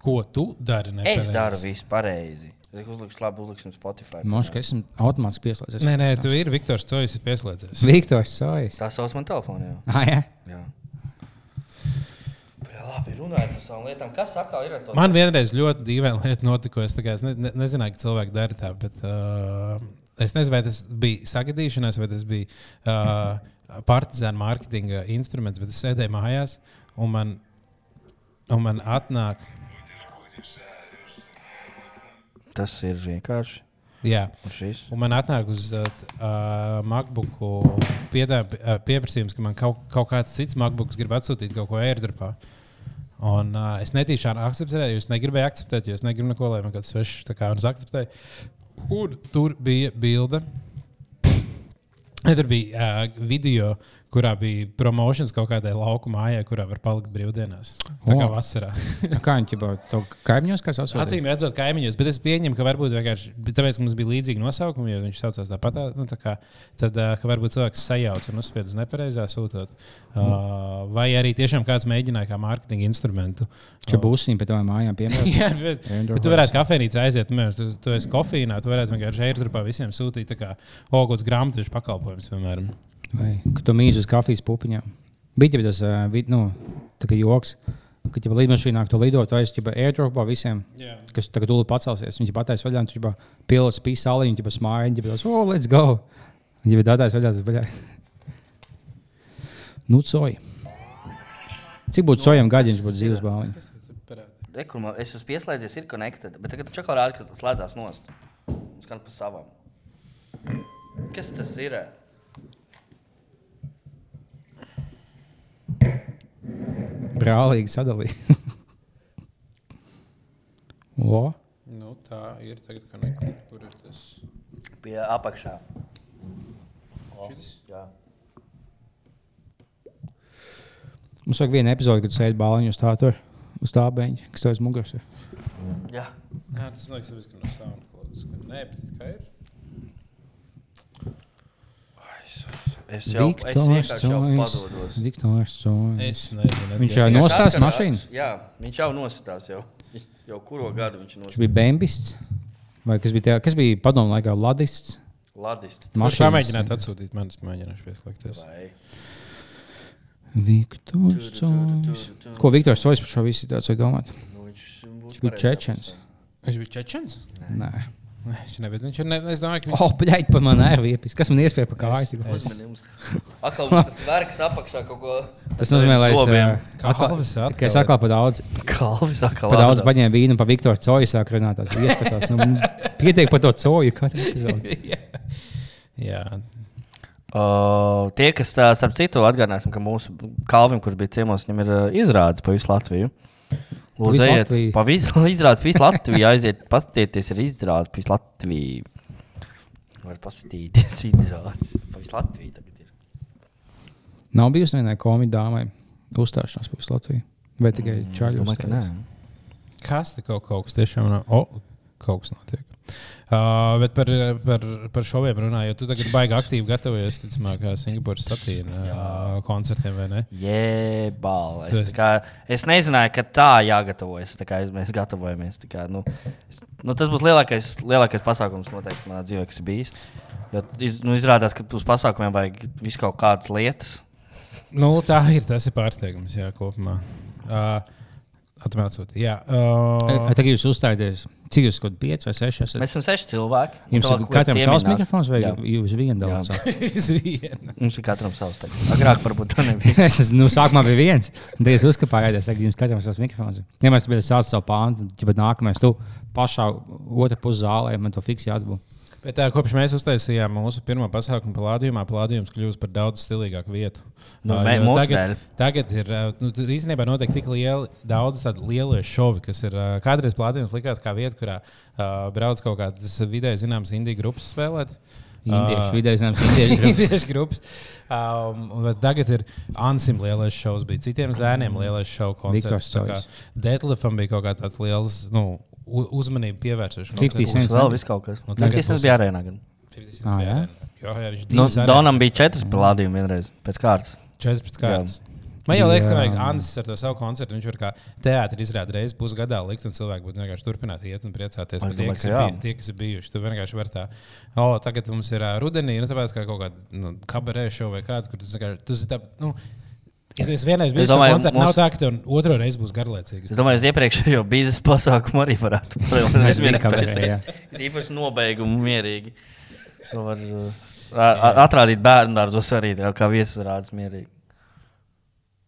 Ko tu dari nepareizi? Es daru visu pareizi. Es uzlikšu labi, uzliksim Spotify. Moš, ka esmu automāts pieslēdzies. Nē, nē, tu ir Viktors Cojs ir pieslēdzies. Viktors Cojs. Tā sauc man telefonu, jā. Ah, jā? Jā. Jā, labi, runājot par savām lietām. Kas atkal ir ar to? Man vienreiz ļoti dīvaina lieta notika, es, kā, es ne, ne, nezināju, ka cilvēki dara tā, bet uh, es nezinu, vai tas bija sagadīšanās, vai tas bija uh, partizāna mārketinga instruments, bet es sēdēju mājās, un man, un man atnāk... Tas ir vienkārši. Jā, un, un man atnāk uz uh, MacBooku piedā, uh, pieprasījums, ka man kaut, kaut kāds cits MacBooks grib atsūtīt kaut ko airdropā. Un uh, es netīšām akceptēju, es negribēju akceptēt, jo es negribu neko, lai man kāds svešs tā kā un es akceptēju. Un tur bija bilde. Tur bija uh, video, kurā bija promotions kaut kādai lauku mājai, kurā var palikt brīvdienās. Tā kā vasarā. Kā viņi ķipa to kaimiņos, kas atsūtīja? Acīm redzot kaimiņos, bet es pieņemu, ka varbūt vienkārši, tāpēc, ka mums bija līdzīgi nosaukumi, jo viņš saucās tāpat, nu, tā kā, tad, uh, ka varbūt cilvēks sajauc un uzspied uz nepareizā sūtot. Uh, vai arī tiešām kāds mēģināja kā mārketinga instrumentu. Čia būsiņi pie tavām mājām piemēram. Jā, bet, bet tu varētu kafejnīcā aiziet, nu, tu, tu esi kofīnā, tu varētu vienkārši airdropā visiem sūtīt tā kā ogots grāmatiņš pakalpojums, piemēram. Vai, ka tu mīzi uz kafijas pupiņām. Bija tas, uh, nu, tā kā joks, ka ja lidmašīnā tu lidot, tu aiz airdropā visiem, yeah. Kas tagad tūlīt pacelsies. Viņi patais vaļā, un tu pilots pīs salī, viņi smāja, viņi tos, oh, let's go. Viņi bija datais vaļā, tas vaļā. Nu, coji. Cik būtu cojam gaļiņš, būtu dzīves bāliņš? Rekurmā, es esmu pieslēdzies, ir connected, bet tagad tu čakā rādi, ka slēdzās nost. Skan pa savam. Kas tas ir? Brālīgi sadalīja. O? Nu, tā ir tagad connected. Kur ir tas? Pie apakšā. O, šitas? Jā. Mums vajag vienu epizodi, kad tu sēdi bāliņu uz tā tur, uz tā beņķa, kas tev aiz muguras ir. Jā. Jā, tas man liekas, ka no SoundCloud. Nē, bet kā ir? Es jau, es vienkārši jau padodos. Viktors Cojs. Es nezinu. Viņš jau nostās mašīnu? Jā, viņš jau nostās jau. Jau kuro gadu viņš nostās. Viņš bija bembists? Vai kas bija, tajā, kas bija padomu laikā ladists? Ladists. Viņš pamēģināt atsūtīt manis, mēģināšu pieslēgties. Vai. Viktors Cojs. Ko Viktors Cojs par šo visu situāciju domāt? Nu, viņš viņš bija čečens. Viņš bija čečens? Nē. Nē, viņš nebija. Viņš ir, ne, es domāju, ka viņš... O, pļaļ, pa man nervi iepis. Kas man iespēja pa kāju? Uzmanījums. Akal tas verkas apakšā kaut ko... Tas nozīmē, lai es... Kalvis atkal. Ka es atkal pa daudz... Kalvis atkal. Pa daudz baņēm vīnu pa Viktoru Coju sāk runāt. Tās ieskatās. Nu, pietiek pa to Coju katru epizodi. Jā. Uh, tie, kas tā, starp citu atgādināsim, ka mūsu Kalvim, kurš bija ciemos, viņam ir uh, izrādes pa visu Latviju. Lūdzu, ejiet, pa visu izrādes pa visu Latviju, aiziet, paskatieties, ir izrādes pa visu Latviju. Var paskatīties izrādes pa visu Latviju tagad ir. Nav bijusi vienai komiķa dāmai uzstāšanās pa visu Latviju? Vai tikai čaļu mm, uzstāšanās? Kas te kaut, kaut kas tiešām nav? O, kaut kas notiek. Uh, bet par, par, par šoviem runāju, jo tu tagad baigi aktīvi gatavojies, ticamāk, Singapūras satīna uh, koncertiem, vai ne? Jebal. Es, esi... kā, es nezināju, ka tā jāgatavojas, tā kā mēs gatavojamies. Tā kā, nu, es, nu, tas būs lielākais, lielākais pasākums noteikti manā dzīvē, kas ir bijis. Jo iz, nu, izrādās, ka uz pasākumiem vajag visu kaut kādas lietas. Nu, tā ir, tas ir pārsteigums, jā, kopumā. Uh, Atmērsot, jā. Uh... Tagad jūs uzstājaties, Cik jūs kaut pieci vai seši esat? Mēs esam seši cilvēki. Jums ir katram savs mikrofons vai Jā. jūs vienu dalāt savs? Uz vienu. Mums ir katram savs tagad. Agrāk varbūt tā nebija. Es esmu, nu, sākumā bija viens. Tad es uzkapāju, es tagad jums katram savs mikrofons. Ja mēs tu biji sāc savu pāntu, tad nākamais tu pašā otra pus zālē, man to fiksi jāatbūt. Bet tā, kopš mēs uztaisījām mūsu pirmo pasākumu Palādījumā, Palādījums kļūst par daudz stilīgāku vietu. Nu, Uh, mē- jo mūsu tagad, dēļ. tagad ir, uh, nu, tur īstenībā notiek tik lieli, daudz tādu lielie šovi, kas ir, uh, kādreiz Palādījums likās kā vieta, kurā uh, brauc kaut kādas vidēji zināmas indiju grupas spēlēt. Indiešu, vidēji zināms, indiešu grupas. Indiešu grupas. Um, bet tagad ir Ansim lielais šovs, bija citiem zēniem lielais šovu koncerts. Tā kā Detlefam bija kaut kā tāds liels, nu, u- uzmanību pievērsuši. fifty Mums Cent. vēl viss kaut kas. Nu, tagad Fifty Cent būs- bija arēnā gan. Ah, jā? Jo, jā, viņš Nu, divas arēnas Donam bija četras pelādījumi vienreiz pēc kārtas. četras kārtas. Man jau liekas, ka Jā. vajag Ansis ar to savu koncertu. Viņš var kā teātris izrādīt reizes pusgadā likt, un cilvēki būtu vienkārši turpināt iet un priecāties Es par tie, domāju, kas ka ir, jā. bij, tie, kas ir bijuši. Tu vienkārši vari tā, o, tagad mums ir ā, rudenī, nu, tāpēc kā kaut kāda nu, kabarē šova vai kāds, kur tu vienkārši, tu esi tā, nu, ja tu esi vienreiz bijis uz domāju, koncertu, mums- nav tā, ka tev otro reizi būs garlaicīgi. Es domāju, uz iepriekšējo biznesa pasākumu arī varētu Mēs bijām kabarē, jā. īpaši nobeigumu mierīgi. To var uh, a- a- atrādīt bērnu dārzos arī, tā kā viesis rādas mierīgi.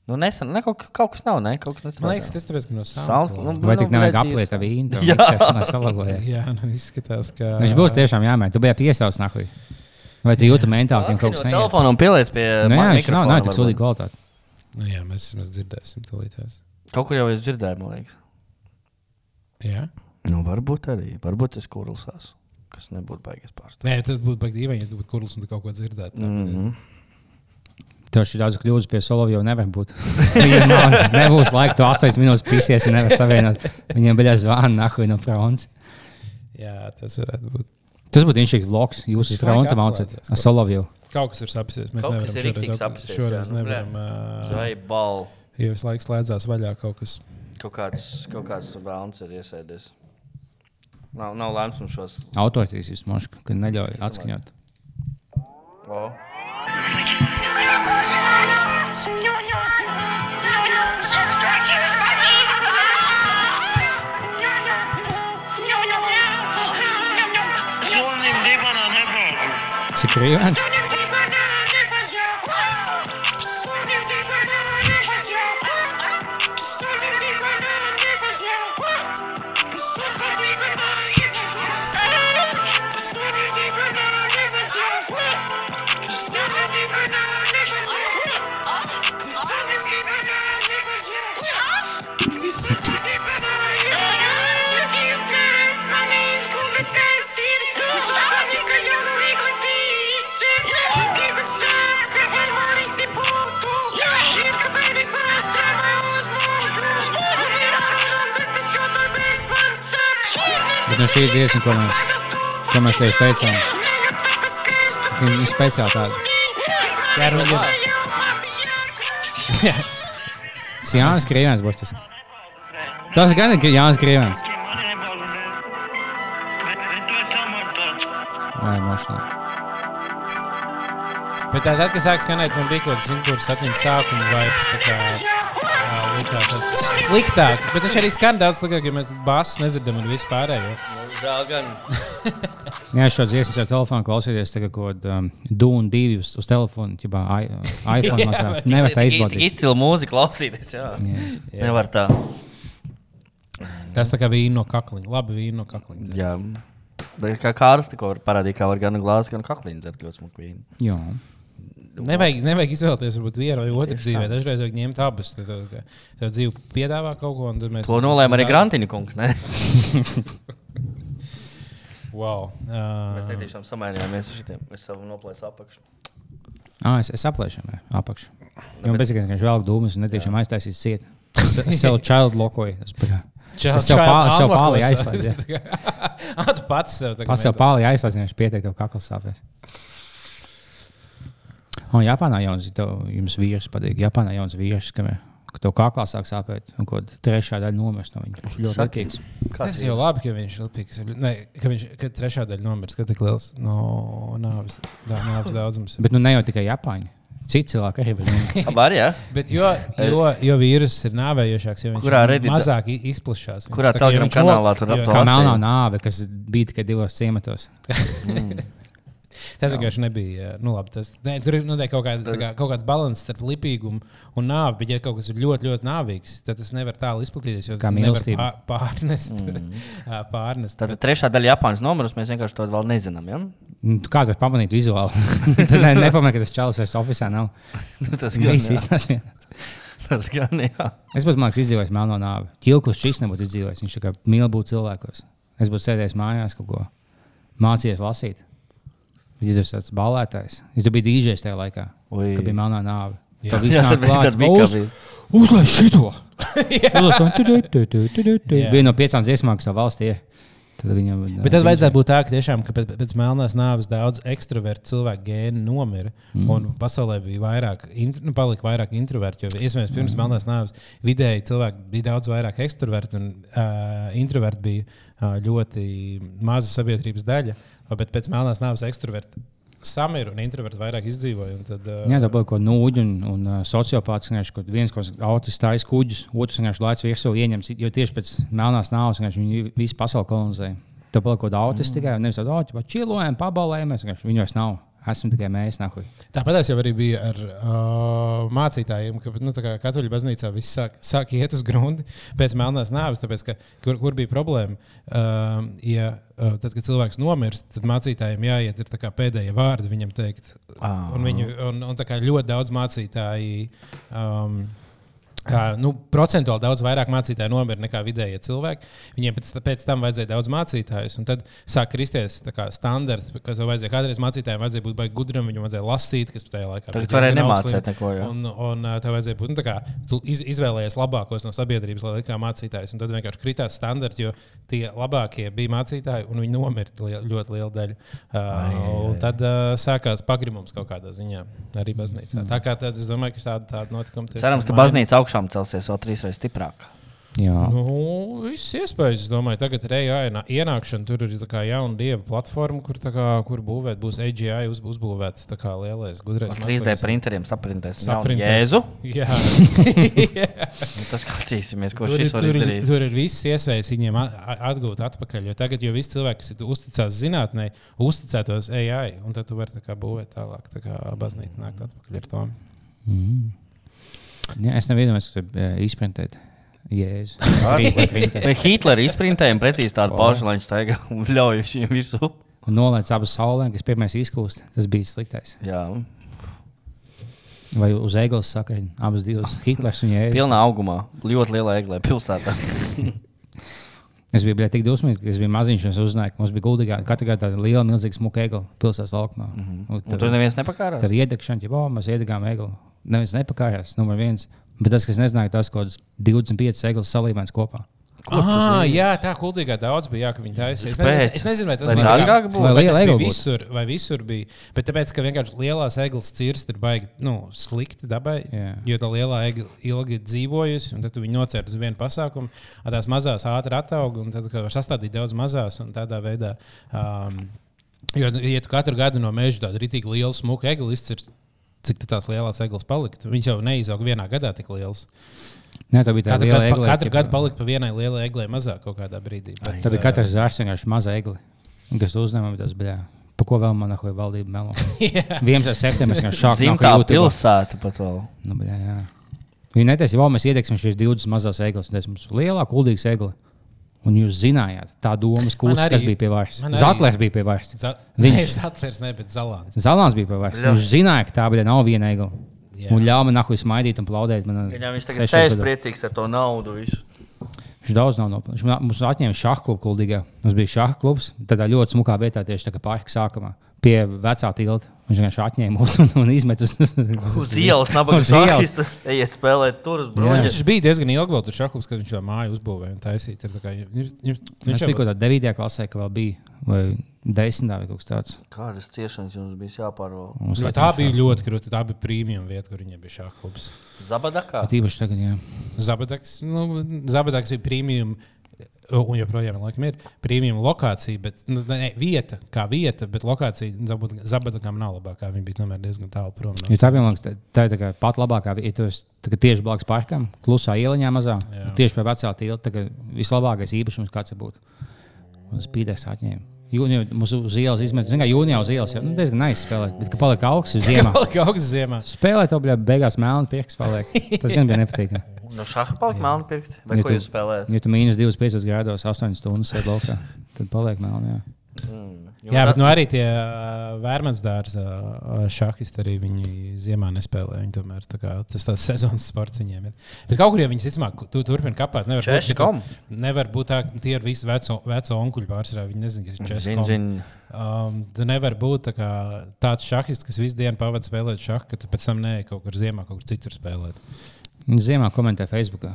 Nu, nesen, ne, kaut, kaut kas nav, ne? Kaut kas nestrādā. Man liekas, tas tāpēc, ka no Sound- sound. nu, Vai tik nevajag bļaļ, apliet jūs- vīnu? Jā. Jā, salagojās. Jā, nu izskatās, ka... Viņš būs tiešām jāmēģina. Tu biji piesaucis nahuj. Vai tu jūti mentāli, ka viņam kaut kas Atskaņot neiet? telefonu un pieliec pie Nu, jā, ma- viņš nav, mikrofona nav tik varbūt. sūdīgi kvalitāti. Nu jā, mēs, mēs dzirdēsim tūlītās. Kaut kur jau es dzirdēju, man liekas. Jā? Nu, varbūt arī. Varbūt es kurlsās, kas nebūtu baigies pārstāvēt. Nē, tas būtu baigi dīvaini, ja tu būtu kurls un tu kaut ko dzirdētu. Mm -hmm. Tev šī daudz kļūdas pie Solovjova nevar būt. Viņam nav, nebūs laika, tu astoņas minūtes pisies un nevar savienot. Viņam bija zvana nahuj no fronts. Jā, tas varētu būt. Tas būtu inšīgs vlogs. Jūs Visu fronta laiku maucat atslēdzies, ar Solovjovu. Kaut kas ir sapsies. Mēs Kaut kas nevaram ir šoreiz, riktīgi at- sapsies, šoreiz jā, nu, nevaram. ā, Zai bal. Jo visu laiku slēdzās vaļā kaut kas. Kaut kāds, kaut kāds tur vēlns ir iesēdies. Nav, nav lēms mums šos. Autoritīs jūs moška, ka neļauj atskaņot. O. Cik brīvens? Bet no šī dziesma, ko mēs, ko mēs tev teicām, viņa ir speciāli tāda. Jā, nu, jā. Tas ir Jānis Krievens, burtiski. Tas gan ir Jānis Krievens. Vai, mošanā. Bet tā, tad, kad sāk skanēt, man bija kaut kāds simtpūrs septiņas sākuma vibes, tā kā ā, likās tas sliktāk. Bet viņš arī skan daudz sliktāk, jo mēs basus nedzirdam un visu pārējo. Žēl gan. Jā, šo dziesmu ar telefonu klausīties, tagad kaut kāda um, Dune divi uz, uz telefonu, ķibā i- iPhone Jā, mazā. bet Nevar tā Tik- Tik izbaudīt. izcila mūzika klausīties, jā. Jā. Nevar tā. Tas tā kā vīna no kakliņa. Labi, vīna no kakliņa. Jā. Tā kā Kārs tikko var parādīt, kā var gan glāzi, gan kaklīnu dzert ļoti smuku vīnu. Jā. Nevajag, nevajag izvēlēties varbūt vienu vai otru Tieši dzīvē. tā. Dažreiz vajag ņemt abas. Tad tev, ka tev dzīve piedāvā kaut ko, un tad mēs... To nolēma arī Grantiņa kungs, ne? Wow. Mēs Uh, netiešām samainījāmies ar šitiem. Mēs savu noplēs apakšu. Ah, es, es aplēšu viņam apakšu. Jo man bezsakās, ka viņš velk dūmus un netiešām aiztaisīs ciet. Es, es sev child lokoju. Es, pagā- Child- es sev, child pā, sev unlockos. pāli aizslēdzu. jā. Ah, tu pats sev tagad Pats sev meklē. pāli aizslēdzu, viņš pieteikt tev kakls sāpēs. Un Japānā jauns, tev, jums vīrs patīk. Japānā jauns vīrs, kam ir, ka tev kaklā sāk sāpēt un kaut trešā daļa nomirst no viņa. Viņš ir ļoti Saki. likīgs. Tas jau labi, ka viņš ir lipīgs. Ne, ka viņš ka trešā daļa nomirs, ka tik liels no nāves, dā, nāves daudzums. Bet nu ne jau tikai Japāņi. Citi cilvēki arī. Bet, Var, jā? Bet jo, jo, jo vīruss ir nāvējošāks, jo viņš Kurā Reddit- mazāk i- izplašās. Kurā Viņš tā kā- Telegram viņš kanālā no- tur jo- apto- kā Lasīju. melnā nāve, kas bija tikai divos ciematos. Tas vienkārši nebija. Nu, labi, tas, ne, tur ir nu, kaut kāda, kā, kaut kāda balanss starp lipīgumu un nāvi. Bet, ja kaut kas ir ļoti, ļoti nāvīgs, tad tas nevar tālu izplatīties. Jo Kā nevar mīlestība. pā- Pārnest. Mm. pārnest. Tātad trešā daļa Japānas numurus mēs vienkārši to vēl nezinām, ja? Nu, tu kā tu pamanīt vizuāli? Tu ne, nepamanī, ka tas čalis vairs oficiālā nav. Tas gan, Viss jā. izsnās vienāds. Tas gan, jā. Es būtu, man liekas, izdzīvojis melno nāvi. Ķilkus šis nebūtu izdzīvojis. Viņš tā kā mīl būt cilvēkos. Es būtu sēdējis mājās kaut ko mācījies lasīt. Bet ja tu esi tāds balētājs. Ja tu biji dīdžejs tajā laikā, Ui. kad bija melnā nāve. Jā. Tad viss Jā, nāk tad bija- klāt. tad bija, kā Uz- bija. Uzlaiž šito! Uzlaiž to. Tu, tu, tu, tu, tu, tu, tu. Bija no piecām dziesmām, kas tā valstī ir. Tad viņam, Bet tad vajadzētu būt tā, ka tiešām ka pēc, pēc melnās nāves daudz ekstravertu cilvēku gēni nomira. Mm. Un pasaulē bija vairāk, int, nu, palika vairāk introvertu. Jo iespējams, pirms mm. melnās nāves vidēji cilvēki bija daudz vairāk ekstravertu un uh, introverti bija uh, ļoti maza sabiedrības daļa. Bet pēc melnās nāves ekstraverti samira un introverti vairāk izdzīvoja. Tad, uh, Jā, tā bija kaut kāda nūģa un, un uh, sociopāts. Kad viens kaut kāds autis taisa kuģus, otrs vienkārši laicis virsū ieņems. Jo tieši pēc melnās nāves viņi visu pasauli kolonizēja. Tā bija kaut kāda autis mm. tikai. Nevis tāda autis, bet čilojam, pabalējamies. Viņi vairs nav. Esam tikai mēs. Nahuj. Tāpat es jau arī biju ar uh, mācītājiem, ka nu, katoļu baznīcā viss sāk, sāk iet uz grundi pēc melnās nāves. Tāpēc, ka, kur, kur bija problēma? Uh, ja, uh, tad, kad cilvēks nomirst, tad mācītājiem jāiet ir tā kā pēdējie vārdi viņam teikt. Ah. Un, viņu, un, un tā kā ļoti daudz mācītāji. Um, Kā, nu, procentuāli daudz vairāk mācītāju nomira nekā vidējie cilvēki. Viņiem pēc, pēc tam vajadzēja daudz mācītājus. Un tad sāk kristies standarts, kas vajadzēja kādreiz mācītājiem. Vajadzēja būt baigi gudram, viņam vajadzēja lasīt, kas tajā laikā Tagad varēja nemācīt neko. Jā. Un, un tev vajadzēja būt, nu, tā kā tu iz, izvēlējies labākos no sabiedrības, lai likā mācītājus. Un tad vienkārši kritās standarts, jo tie labākie bija mācītāji, un viņi nomira li, ļoti liela daļa. Uh, un tad uh, sākās pagrimums kaut kādā ziņā arī baznīcā. Tā kā tad, es domāju, ka tāda, tāda notikuma tiešām Cerams, ka maina. baznīca augšām celsies vēl trīs reizes stiprāk. Jā. Nu, viss iespējas, es domāju, tagad ir A I ienākšana, tur ir tā kā jauna dieva platforma, kur, tā kā, kur būvēt, būs A G I uz, uzbūvēts tā kā lielais gudrais. Ar trīs D printeriem saprintēs Saprintēs. Jēzu. Jā. Nu, tas skatīsimies, ko Tur, šis ir- var tur, ir, izdarīt. tur ir viss iespējas viņiem a- a- atgūt atpakaļ, jo tagad jau visi cilvēki, kas ir uzticās zinātnē, uzticētos A I, un tad tu vari tā kā būvēt tālāk, tā kā baznīca nākt atpakaļ ar to. Mm. Jā, es nevienu domāju, ka tur izprintēt. Jēzus. Vai Hitleri izprintējumi precīzi tādu pašu, lai viņš staigā un ļauj viņiem virsū? Un nolaic abas saulēm, kas pirmais izkūst. Tas bija sliktais. Jā, Vai uz eglis sakaļ abas divas Hitlers un Jēzus. pilnā augumā. Ļoti lielā eglē pilsētā. Es biju bļā, tik dusmīgs, ka es biju maziņš, un es uzzināju, ka mums bija guldīgā, katru gadu tāda liela, milzīga smuka egla pilsētas laukumā. Mm -hmm. Un tur neviens nepakārās? Tad iedegšana, ja oh, mēs iedegām eglu. Neviens nepakājās, numur viens. Bet tas, kas nezināja, tas kaut kāds divdesmit piecas eglis salīmēs kopā. Ah, jā, tā kuldīgā daudz bija, jā, ka viņi taisīja. Es, ne, es, es nezinu, vai tas Vai bija dārgāk tā kā- būtu? Vai vai liela tas bija egla būtu? visur, vai visur bija. Bet tāpēc, ka vienkārši lielās eglis cirst ir baigi nu, slikti dabai, Jā. jo tā lielā egla ilgi dzīvojusi, un tad tu viņu nocērt uz vienu pasākumu, un tās mazās ātri ataug, un tad var sastādīt daudz mazās, un tādā veidā. Um, jo, ja tu katru gadu no meža tādu ritīgi lielu smuku egli izcirst, cik tad tās lielās eglis paliktu? Viņas jau neizaug vienā gadā tik liels. Nē, tā bija tā Katru, liela gadu, egle. katru gadu palika pa vienai lielai eglei mazāk kaut kādā brīdī. Bet, Tā bija katrs zārs, vienkārši maza egli. Un kas uzņēma, tas bija. Pa ko vēl man nahoja valdība melo? vienpadsmitais septembris, kā šāk nāk Dzimtā YouTube. pilsēta pat vēl. Nu, bļā, jā. Viņi netaisa, ja mēs iedegsim šīs divdesmit mazās eglis, un tas mums lielā, kuldīgas egli. Un jūs zinājāt, tā domas Man kūts, arī kas īsti- bija pie varas. man arī- Zatlers bija pie varas. Za- Viņš- Nē, Zatlers, ne, bet Zalāns. Zalāns bija pie varas. Jā. Viņš zināja, ka tā bija nav viena egla. Jā. Un ļāva man nahuj smaidīt un plaudēt. Man Viņam viņš tagad sešos sēž gados. priecīgs ar to naudu visu. Viņš daudz nav nopelnījis. Viņš man- mums atņēma šāhu klubu kuldīgā. Mums bija šāhu klubs, tādā ļoti smukā vietā, tieši tā kā parka sākumā. Pie vecā tilta. Viņš vienkārši atņēma mūs un, un izmet uz, Uz ielas nabaga Uz ielas. sākis, ejiet spēlēt tur uz Jā. broņas. Viņš bija diezgan ilgi vēl tur šaklubs, kad viņš jau māju uzbūvēja un taisīja. Ir tā kā, ir, ir, Viņš viņš bija kaut kādā devītajā klasē, ka vēl bija, vai desmitā vai kaut kas tāds. Kādas ciešanas jums bija jāpārvalda? Mums Nu, tā bija ļoti krūta. Tā bija premium vieta, kur viņiem bija šaklubs. Zabadakā? Bet īpaši tagad, jā. Zabadaks, nu, Zabadaks bija premium un joprojām laikam ir premium lokācija, bet nu, ne, vieta kā vieta, bet lokācija Zabadakam nav labākā. Viņa bija tomēr diezgan tālu prom. No. Ja tā, tā ir tā kā pat labākā, ja tu esi tieši blakus parkam, klusā ieliņā mazā, tieši pie vecā tilta, tā vislabākais īpašums kāds būtu. Un spīdēs atņēma. Jūnijā mums uz ielas izmet, zin kā jūnijā uz ielas jau nu, diezgan neizspēlēt, bet ka paliek augsts ziemā. Paliek augsts ziemā. Spēlēt, to, bļā, beigās melni pirksts paliek. Tas gan bija nepatīkami. No šaha paliek melni pirksti? Vai ja ko tu, jūs spēlējat? Ja tu mīnus divdesmit piecos grādos, astoņas stundas sēd laukā, tad paliek melni, jā. Mm. Jā, bet nu arī tie uh, vērmansdārs uh, šahisti arī viņi ziemā nespēlē. Viņi tomēr tā kā, tas tāds sezonas sports viņiem ir. Bet kaut kur, ja viņi ticamāk, tu turpini kapāt, nevar būt, tu, nevar būt tā, tie ir visi veco, veco onkuļu pārsvarā. Viņi nezin, kas ir českom. Um, tu nevar būt tā kā, tāds šahists, kas visu dienu pavada spēlēt šahu, ka tu pēc tam neej kaut kur ziemā, kaut kur citur spēlēt. Ziemā komentē Facebookā.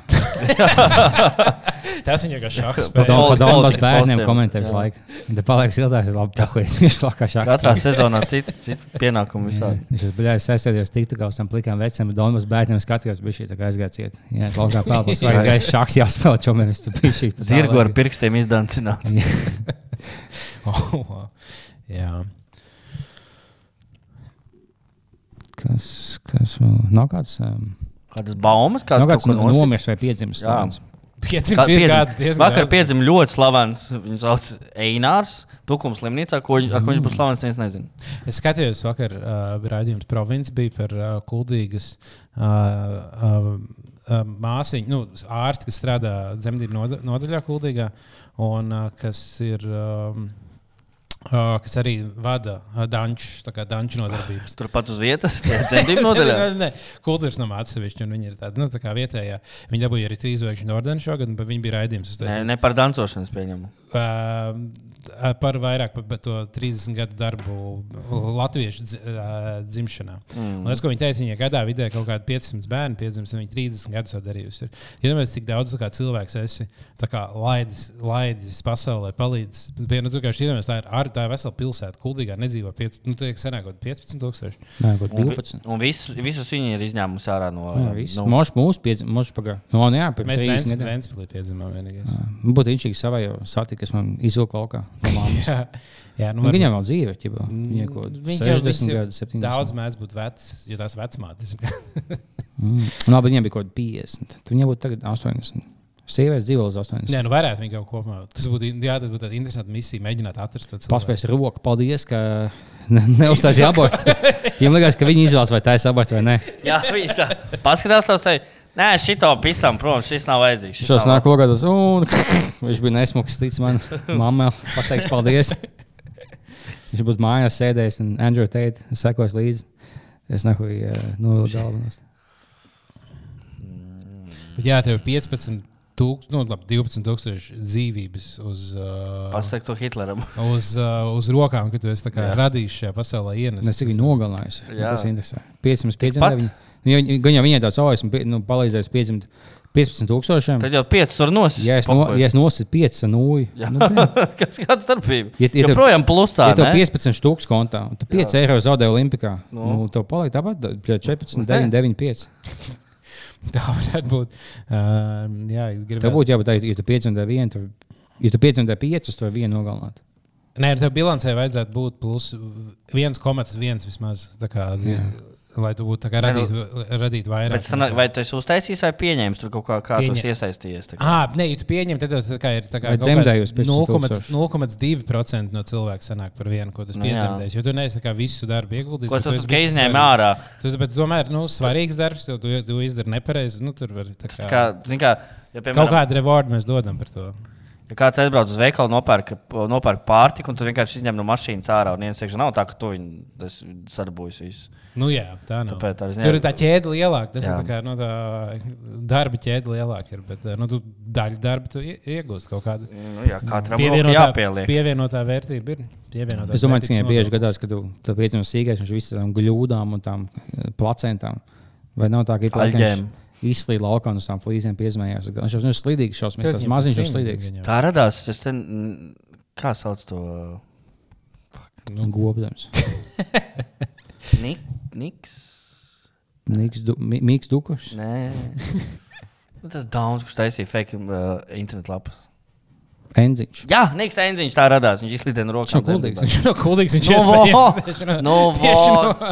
Tas viņa kā šahs spēlē. Pa Donbas bērniem komentē visu laiku. Te paliek siltās, ir labi pahujies. Viņš plakā šahs. Katrā sezonā citu cit pienākumu visādi. Viņš ir baļājis aizsēdījos tiktu kā uz tam plikām veciem, bet Donbas bērniem skatījos bišķī tā kā aizgāja ciet. Jā, laukā pēlpus vajag gājis šahs jāspēlē čomēr, viņš tu bišķī. Zirgu ar pirkstiem izdancināt. oh, jā. Kas, kas vēl? Nav kāds... Um, Kādas baumas, kāds kaut ko nosits? Nomirs vai piedzimis slavens? Piedzimis ir kāds diezgan Vakar piedzim ļoti slavens, viņu sauc Einārs, Tukums slimnīcā, ko, ar ko viņš būs slavens, neviens nezinu. Es skatījos vakar, uh, raidījums Province bija par uh, Kuldīgas uh, uh, uh, māsiņu, nu, ārsti, kas strādā dzemdību nodaļā Kuldīgā, un uh, kas ir... Um, Uh, kas arī vada uh, danču, tā kā danču nodarbības. Turpat uz vietas, dzemdību nodaļā? ne, ne, kultūras nama atsevišķi, un viņi ir tādi, nu, tā kā vietējā. Viņi dabūja arī trīs zvaigžņu ordeni šogad, bet viņi bija raidījums. Ne, ne par dancošanas pieņemu. Uh, par vairāk par to trīsdesmit gadu darbu latviešu dz, uh, dzimšanā. Mm. Un tas, ko viņi teica, viņa gadā vidē kaut kādi piecsimt bērni piedzims, un viņi trīsdesmit gadus jau darījusi. Iedomājieties, cik daudz kā, cilvēks esi kā, laidis, laidis pasaulē, palīdz. Nu, tu, kā, iedomājies, tā, ir, tā ir vesela pilsēta, Kuldīgā nedzīvo piecpadsmit, nu, tu senāk kaut piecpadsmit tūkstoši. Nē, kaut divpadsmit. Un, un visus, visus viņi ir izņēmusi ārā no... Jā, visu. Nu. Moši mūsu piedzim, moši pagā. No, nu, jā, mēs Vens, Ventspilī piedzimām vienīgais. Būtu inčīgi savai jau sati, kas man izvilka laukā. jā, jā, nu, viņam vēl dzīve, ķipa. Viņai kaut sešdesmit gadu, septiņdesmit. Daudz mēdz būt vecs, jo tās vecmātes. mm. Nā, bet viņam bija kaut piecdesmit. Tad viņam būtu tagad astoņdesmit. Sievietes dzīvo līdz astoņdesmit. Nē, nu varētu viņi kaut kopumā. Tas būtu, jā, tas būtu tāda interesanta misija, mēģināt atrast to cilvēku. Paspēs roku, paldies, ka ne, neuzstāsi abortu. Viņam likās, ka viņi izvēlas, vai tā ir abortu vai nē. jā, viņš paskatās to sevi. Nē, šito pisam, protams, šis nav vajadzīgs. Šos nāk logādos, un viņš bija nesmuks, tic man, mamma pateiks paldies. Viņš būtu mājās sēdējis un Andrew Tate sekos līdzi. Es nahu uh, novilku galvenos. Jā, tev ir piecpadsmit tūkstoši, nu, labi, divpadsmit tūkstoši dzīvības uz, uh, Pasaka to Hitleram. uz, uh, uz rokām, ka tu esi tā kā radījis šajā pasaulē ienes. Es cik viņu nogalinājis. Tas interesē. piecsimt piedzimta viņa. Gan jau viņai tāds ojas un nu, palīdzējis piedzimt piecpadsmit tūkstošiem. Tad jau piecas var nosist. Ja es, no, ja es nositu piecas ar nūju. Nu, Kas kāda starpība? Ja, ja joprojām plusā, ja tev piecpadsmit stūks kontā, un tu pieci eiro zaudē Olimpikā, no. nu, tev paliek tāpat četrpadsmit, deviņi, deviņi, pieci. Tā varētu būt. Uh, jā, gribētu. Tev būtu jābūt tā, ja tu piedzimtē vienu, ja tu piedzimtē piecas, to vienu nogalināt. Nē, tev bilancē vajadzētu būt plus viens komats viens vismaz. Tā kā dzīv. Lai tu būtu radīt, radīt vairāk. Bet sanā, vai tu esi uztaisījis vai pieņēmis tur kaut kā, kā tu esi iesaistījies? Ah, nē, ja tu pieņem, tad tas ir nulle komats divi procenti no cilvēku sanāk par vienu, ko tu no, piedzemdēsi. Jo tu neesi visu darbu ieguldījis. Ko tu, tu izņēmi ārā? Tu, bet tomēr, nu, svarīgs darbs, jo tu, tu izdari nepareizi. Nu, tur var tā kā... kā, zin kā ja, piemēram, kaut kādu rewardu mēs dodam par to. Ja kāds aizbrauc uz veikalu, nopērk, nopērk pārtiku, un tu vienkārši izņem no mašīnas ārā, un viens sēkšana nav tā, ka tu viņu sadarbojas visu. Nu jā, tā nav. Tāpēc, tā tur ir tā ķēde lielāka, tas jā. Ir tā kā, nu, tā darba ķēde lielāka ir, bet, nu, tu daļu darbu tu iegūst kaut kādu. Nu jā, katram roku jāpieliek. Pievienotā vērtība ir. Pievienotā es domāju, ka viņai bieži gadās, ka tu, tu piecinu sīgais, viņš visam gļūdām un tām placentām. Vai nav tā, ka ir plakens? Izslīd laukā un uz tām flīzēm piezmējās. Viņš jau ir slidīgs šausmīgs, tas maziņš jau slidīgs. Tā radās, es ten, kā sauc to? Nu, gobdams. Nik, Niks? Niks, du, mi, Miks Dukušs? Nē. Tas Dauns, kurš taisīja fake uh, internet lapas. Enziņš. Jā, Niks Enziņš tā radās. Viņš izlidēja no rokām. Viņš nav kuldīgs. Viņš nav kuldīgs, viņš Nu, iespējams. tieši no- Nu, tieši no- vots.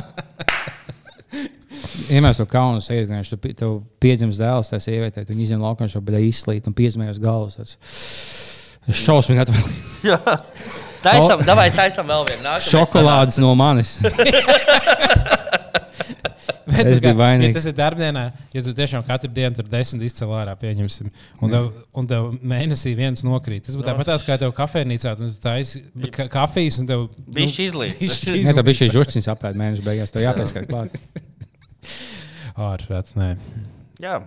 Iemēs to kaunu sēdi, ka viņš tu- tev piedzimst dēls, tā sievietē, tu izņem laukā, viņš jau bija izslīt un piezmējos galvas. Tas šausmīgi atvēl. Jā. Taisam, davai taisam vēl vienu. Nākamais Šokolādes no manis. Bet, Es nu, kā, biju vainīgs. ja tas ir darbdienā, ja tu tiešām katru dienu tur desmit izcēl ārā, pieņemsim, un tev, un tev mēnesī viens nokrīt. Tas būtu tāpat tās, kā tev kafejnīcā, un tu taisi ka- kafijas, un tev... Bišķi izlīst. bišķi Jā, tā bija šī žurciņas apēd mēneša beigās, tev jāpieskait klāt. Ārprāts, nē. Jā.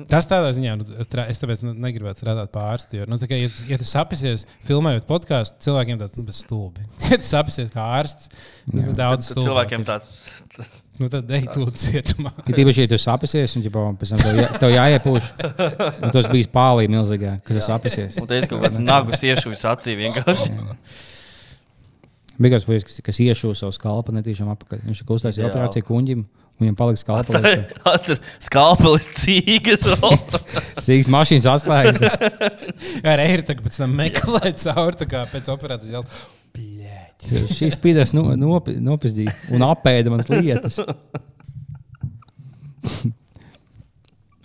Tas tādā ziņā, nu, tra- es tāpēc nu, negribētu strādāt par ārstu. Jo, nu, tā kā, ja, tu- ja tu sapisies, filmējot podkāstu, cilvēkiem tāds nu, stulbi. Ja tu sapisies kā ārsts, nu, tad daudz Tad stulbāk. cilvēkiem tāds. Nu, tad ej, tu lūdzu cietumā. Ja tīpaši, ja tu sapisies, un ģipā, pēc tam tev, jā, tev jāiepūš, un tu esi bijis pālī milzīgā, kad tu sapisies. Un te ir kaut kāds nagus iešuvis acī vienkārši. Bija kāds vajag, kas, kas iešū savu skalpu netīšām apakaļ. Viņš ir uztaisījis Jā. operāciju kuņģim, un viņam palika skalpa. Atcer skalpelis cīgas. Sīgs mašīnas atslēgas. Ar eiro tagad pēc tam meklē cauri, tā kā pēc operācijas jāls. Bļēķi. Šīs pīdēs no, nopi, nopizdīja un apēda manas lietas.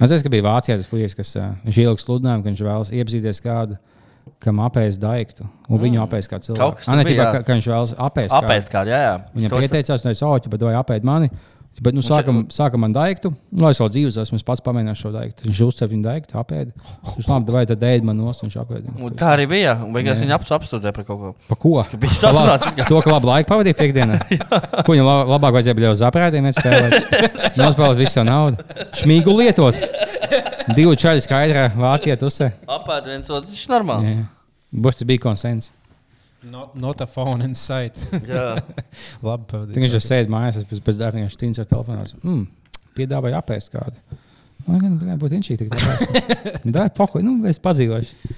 Es zinu, ka bija Vācijā tas fujies, kas uh, viņš ielika sludinājumu, ka viņš vēlas iepazīties kādu, kam apēst daiktu, un viņu mm. apēst kā Kaut cilvēku. kas tur Ane, bija, ķipā, jā. ka, ka viņš vēlas apēst Apēst kādu, jā, jā. Viņam Kaut kas- pieteicās, un es saucu, bet vai apēd mani. Bet, nu, sākam, sākam man daiktu, lai es vēl dzīvos esmu, es pats pamēģināšu šo daiktu. Viņš uzcev viņu daiktu, apēd. Viņš labi, vai tad ēd man nost, viņš apēd. Un tā arī bija. Un beigās viņa aps apsūdzēja par kaut ko. Pa ko? bija Pa lab- sarunāts. To, ka labi laiku pavadīja piekdienā. Ko viņam la- labāk vajadzēja bija uz aprēdiem spēlēt. Nospēlēt visu savu naudu. Šmīgu lietot. Divu čaļu skaidrā Vācijā tusē. Apēd viens otrs, viņš ir normāli. Būs tas bija konsens. Not, not a phone in sight. Jā. Labi, pavadīt. Tad viņš jau sēd mājās, es pēc, pēc darba viņš tīns ar telefonās. Mm, piedāvāja apēst kādu. Man gan bija būtu inčīgi. Dāj, pohuj, nu, es padzīvošu.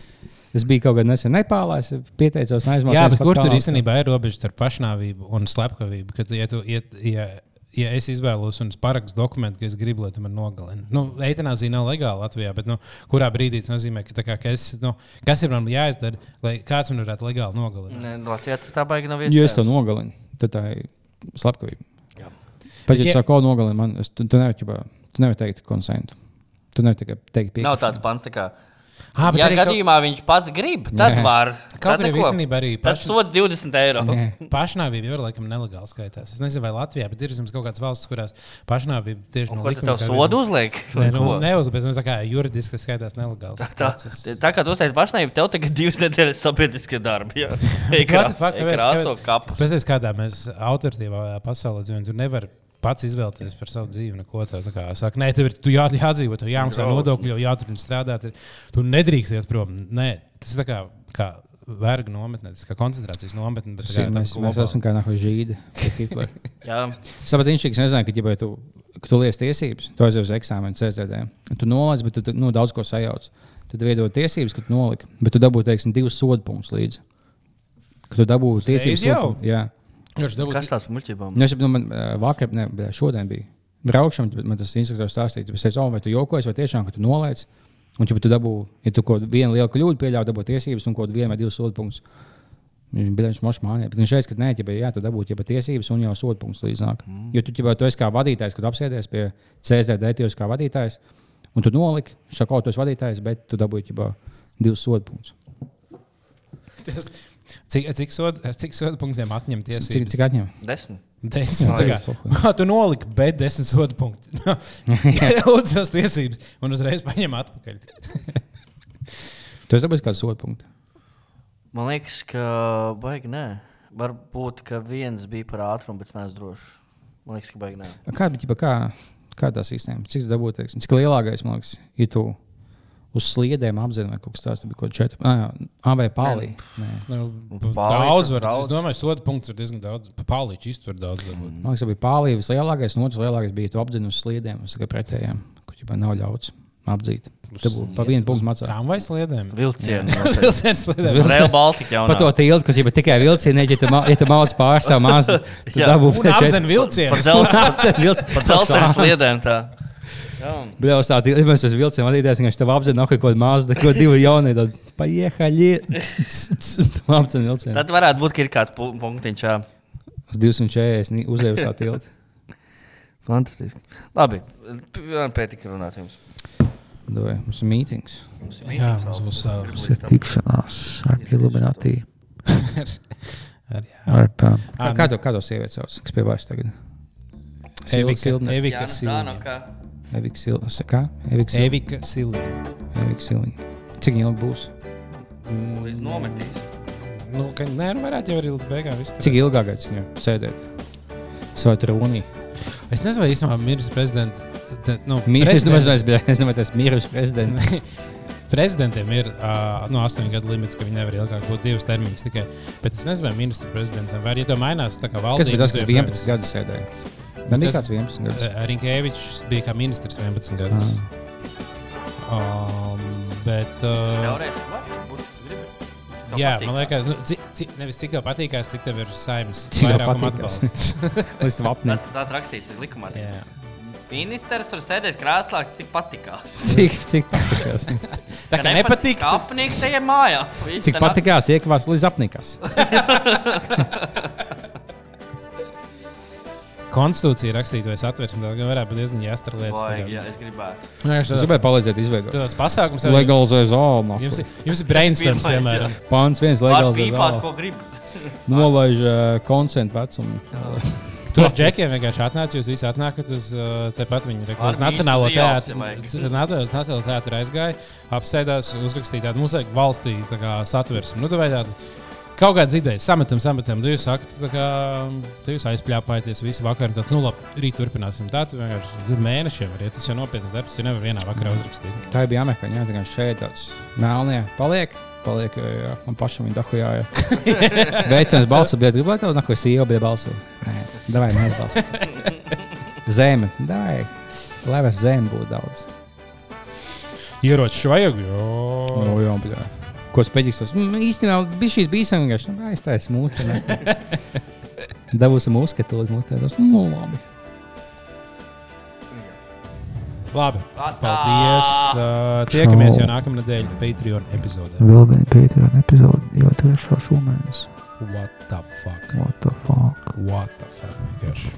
Es biju kaut kādā nesen Nepālā, es pieteicos un aizmācījos. Jā, bet kur tur īstenībā ir robeža starp pašnāvību un slepkavību? Kad, ja, tu, ja, ja, ja es izvēlos un es parakstu dokumentu, ka es gribu, lai tu man nogalini. Nu, eitanāzija nav legāla Latvijā, bet nu, kurā brīdī tas nozīmē, ka, kā, ka es, nu, kas ir man jāizdara, lai kāds man varētu legāli nogalināt? Nē, Latvijā tas tā baigi nav Ja es to iespējams. nogalinu, tad tā ir slepkavība. Jā. Pat ja Ja- tu sāki kaut ko nogalini, man, es, tu, tu nevari ķipā- tu nevari teikt konsentu. Tu nevari tikai teikt piekrišanu. Nav tāds pants, tā kā. Ah, bet Ja arī kaut- gadījumā viņš pats grib, tad Jā. var. Kaut Tad arī neko. īstenībā arī Tad paši- sods divdesmit eiro. Nē. Pašnāvība jau ir laikam nelegāli skaitās. Es nezinu, vai Latvijā, bet ir vismaz kaut kādas valsts, kurās pašnāvība tieši Un no ko tad tev likumiskā sodu viedokļa- uzliek? Nē, nu, Ko? neuzliek, bet nu, tā kā juridiski tas skaitās nelegāls. Tā, process. tā kā tu uzteici pašnāvību, tev tagad divas nedēļas sabiedriskie darbi. Jā, Ej What krā- the fuck, ej kāpēc- krāso kāpēc- kapus. Pēc kādā mēs autoritīvā pasaulē dzīvojam, tu nevari pats izvēlēties par savu dzīvi. Neko tādu. Tā kā saka, nē, tev ir tu jā, jādzīvo, tev jāmaksā Grausmi. nodokļi, jau jāturpina strādāt. ir- Tu nedrīkst iet prom. Nē, tas ir tā kā, kā vergu nometne, tas ir kā koncentrācijas nometne. Bet, Tas tā ir- kā, Mēs, tā mēs esam kā nākoši žīdi. Jā, Sapat inšīgs nezināja, ka, ja tu, ka tu liec tiesības, tu aizies uz eksāmenu C Z D. Tu nolaic, bet tu tu, nu, daudz ko sajauc. Tad veidot tiesības, ka tu noliki, bet tu dabūji, teiksim, divus sodu punktus līdzi. Ka tu dabūji tiesības jau? sodu punktus. Jā. Viņš dabūt- kas tās muļķībām? Nu, es, nu, man ā, vakar, ne, bet šodien bija braukšana, bet man tas instruktors stāstīja, es teicu, oh, vai tu jokojies, vai tiešām, ka tu nolaic. Un, ja tu dabūji, ja tu kaut vienu lielu kļūdu pieļauj, dabūji tiesības un kaut vienu vai divus sodu punktus. Viņš bija viņš mošs mānē, bet viņš teica, ka nē, ja jā, tu dabūji ja tiesības un jau sodu punktus līdznāk. Mm. Jo tu, ja tu esi kā vadītājs, kad apsēdies pie C Z D, tu esi kā vadītājs, un tu noliki, saka, oh, tu esi vadītājs, bet tu dabūji ja divus sodu punktus. Tas- Cik, cik, sodu, cik sodu punktiem atņem Cik, tiesības? cik atņem? Desmit. Desmit. Jā, Tā jā, kā, kā tu noliki, bet desmit sodu punkti. Lūdzu, tās tiesības, un uzreiz paņem atpakaļ. Tu esi dabūjis kādu sodu punktu. Man liekas, ka baigi nē. Varbūt, ka viens bija par ātrumu, bet es neesmu drošs. Man liekas, ka baigi nē. Kā, ķipa, kā, kā tā sistēma? Cik tu dabūji, teiksim, cik lielākais, man liekas, ja tu uz sliedēm apzināti, vai kaut kas tāds, tad bija kaut kāds četri. Ah, jā, A vai pālī. Nē. Nu, Pālīti daudz tur var. daudz. Es domāju, sodu punkts ir diezgan daudz. Pālīči iztur daudz. Mm. Man liekas, ka bija pālī vislielākais, un otrs lielākais bija tu apdzini uz sliedēm. Es tikai pretējām, kur ķipa nav ļauts apdzīt. Tad būtu pa vienu punktu macā. Tramvajas sliedēm. Vilcieni. Vilciens sliedēm. Rail Baltica jau Pa to tiltu, kur ķipa tikai vilcieni, ja tu, ma- ja tu mauc pār savu mazu, tad Jā. dabū Un apzen vilcienu. Par dzelzceļa vilcienu. par dzelzceļa sliedēm tā. Jā, un Bet uz tā tilta mēs uz vilcienu vadītājs, viņš tev apdzina, ka kaut kāda maza, kaut divi jaunie, tad paiehaļi. Apcen vilcienu. Tad varētu būt, ka ir kāds pu- punktiņš. Jā. Uz divsimt četrdesmit uzējusā tilta. Fantastiski. Labi, pētika runāt jums. Doj, mums ir mītings. Mums ir Jā, mītings mums vēl. būs savs. Līdz tam. Tikšanās ar Illuminati. Ar, jā. Ar pām. Ā, Kā, kā to, kā to sievieti sauc? Kas pie vairs tagad? Evika, Silne. Evika Jānis Siliņa. Dānoka. Evika Silne. Kā? Evika Silne. Evika Siliņa. Evika Silne. Cik ilgi būs? Līdz nometīs. Nu, ka, nē, nu varētu jau arī līdz beigām visu. Cik ilgākais viņam sēdēt? Savā trūnī. Es nezinu, vai īstenībā miris prezidents. Te, nu, Mīris, es prezident- domāju, es biju, es domāju, tas miris prezidents. Prezidentiem ir uh, no astoņu gadu limits, ka viņi nevar ilgāk būt divus termiņus tikai. Bet es nezinu, vai ministra prezidentam vai arī ja to mainās tā kā Kas valdība. bija tas, kas tad vienpadsmit joprojām- gadus sēdēja? Man bija Tas- kāds vienpadsmit gadus. Uh, Rinkēvičs bija kā ministrs vienpadsmit gadus. Ah. Um, bet, uh, Teorētiski var būt, cik tu gribi. Cik tev jā, patīk. man liekas, nu, cik, cik, nevis cik tev patīkās, cik tev ir saimnes Cik tev vairākuma patīkās. atbalsts. Līdz tam apnē. Tas tāds rakstīts ir likumā. Jā. Ministrs var sēdēt krēslā, cik patikās. Cik, cik patīkās? Tā kā nepatīk, Kā apnīk tajā mājā. Viss Cik te patīkās iekavās līdz apnikās? konstitūcija rakstīta vai satversme, tad gan varētu būt diezgan jāstra lietas. Vajag, jā, es gribētu. Es gribēju palīdzēt izveidot. Tāds pasākums jau Legalizē zāli. Jums, ir- jums ir brainstorms, Pirmais, piemēram. Pāns viens Var legalizē pīpāt, zāli. ko gribas. Nolaiž uh, koncentu vecumu. Tu ar džekiem vienkārši atnāc, jūs visi atnākat uz uh, tepat viņa reklāmas. Ar Nacionālo īstu ielas, teātru. ja vajag. C- Nato- uz Nacionālo teātru aizgāja, apsēdās, uzrakstīja tādu muziku valstī tā kā satversmi. Nu, tā vai tāda kaut kādas idejas, sametam, sametam. Tu jūs sakat, tā kā tu jūs aizpļāpājaties visu vakaru. Tāds, nu labi, rīt turpināsim. Tā tu vienkārši tur mēnešiem var iet. Tas jau nopietnas darbs, tu nevar vienā vakarā uzrakstīt. Tā bija amerikāņi, jā, tā kā šeit tāds melnie paliek. Paliek, jo, jā, man pašam viņa dahujā. Veicams balsu, bet gribētu tev, nako sīva, bet balsu. Nē, davai, mēs balsu. Zeme, davai. Lai vairs zeme būtu daudz. Ieroči vajag, jo. O, jā, bet jā. Ko speģiks tos? Mm, īstenībā bija šīs bīsam vienkārši. Nu, aiztais mūte. Dabūsim uzskatūt mūtē. Tas, nu, labi. Labi, Atā! paldies. Uh, tiekamies jau nākamā nedēļa Patreon epizodē. Vēl viena Patreon epizode jau trešā šomēnes. What the fuck? What the fuck? What the fuck? Vienkārši.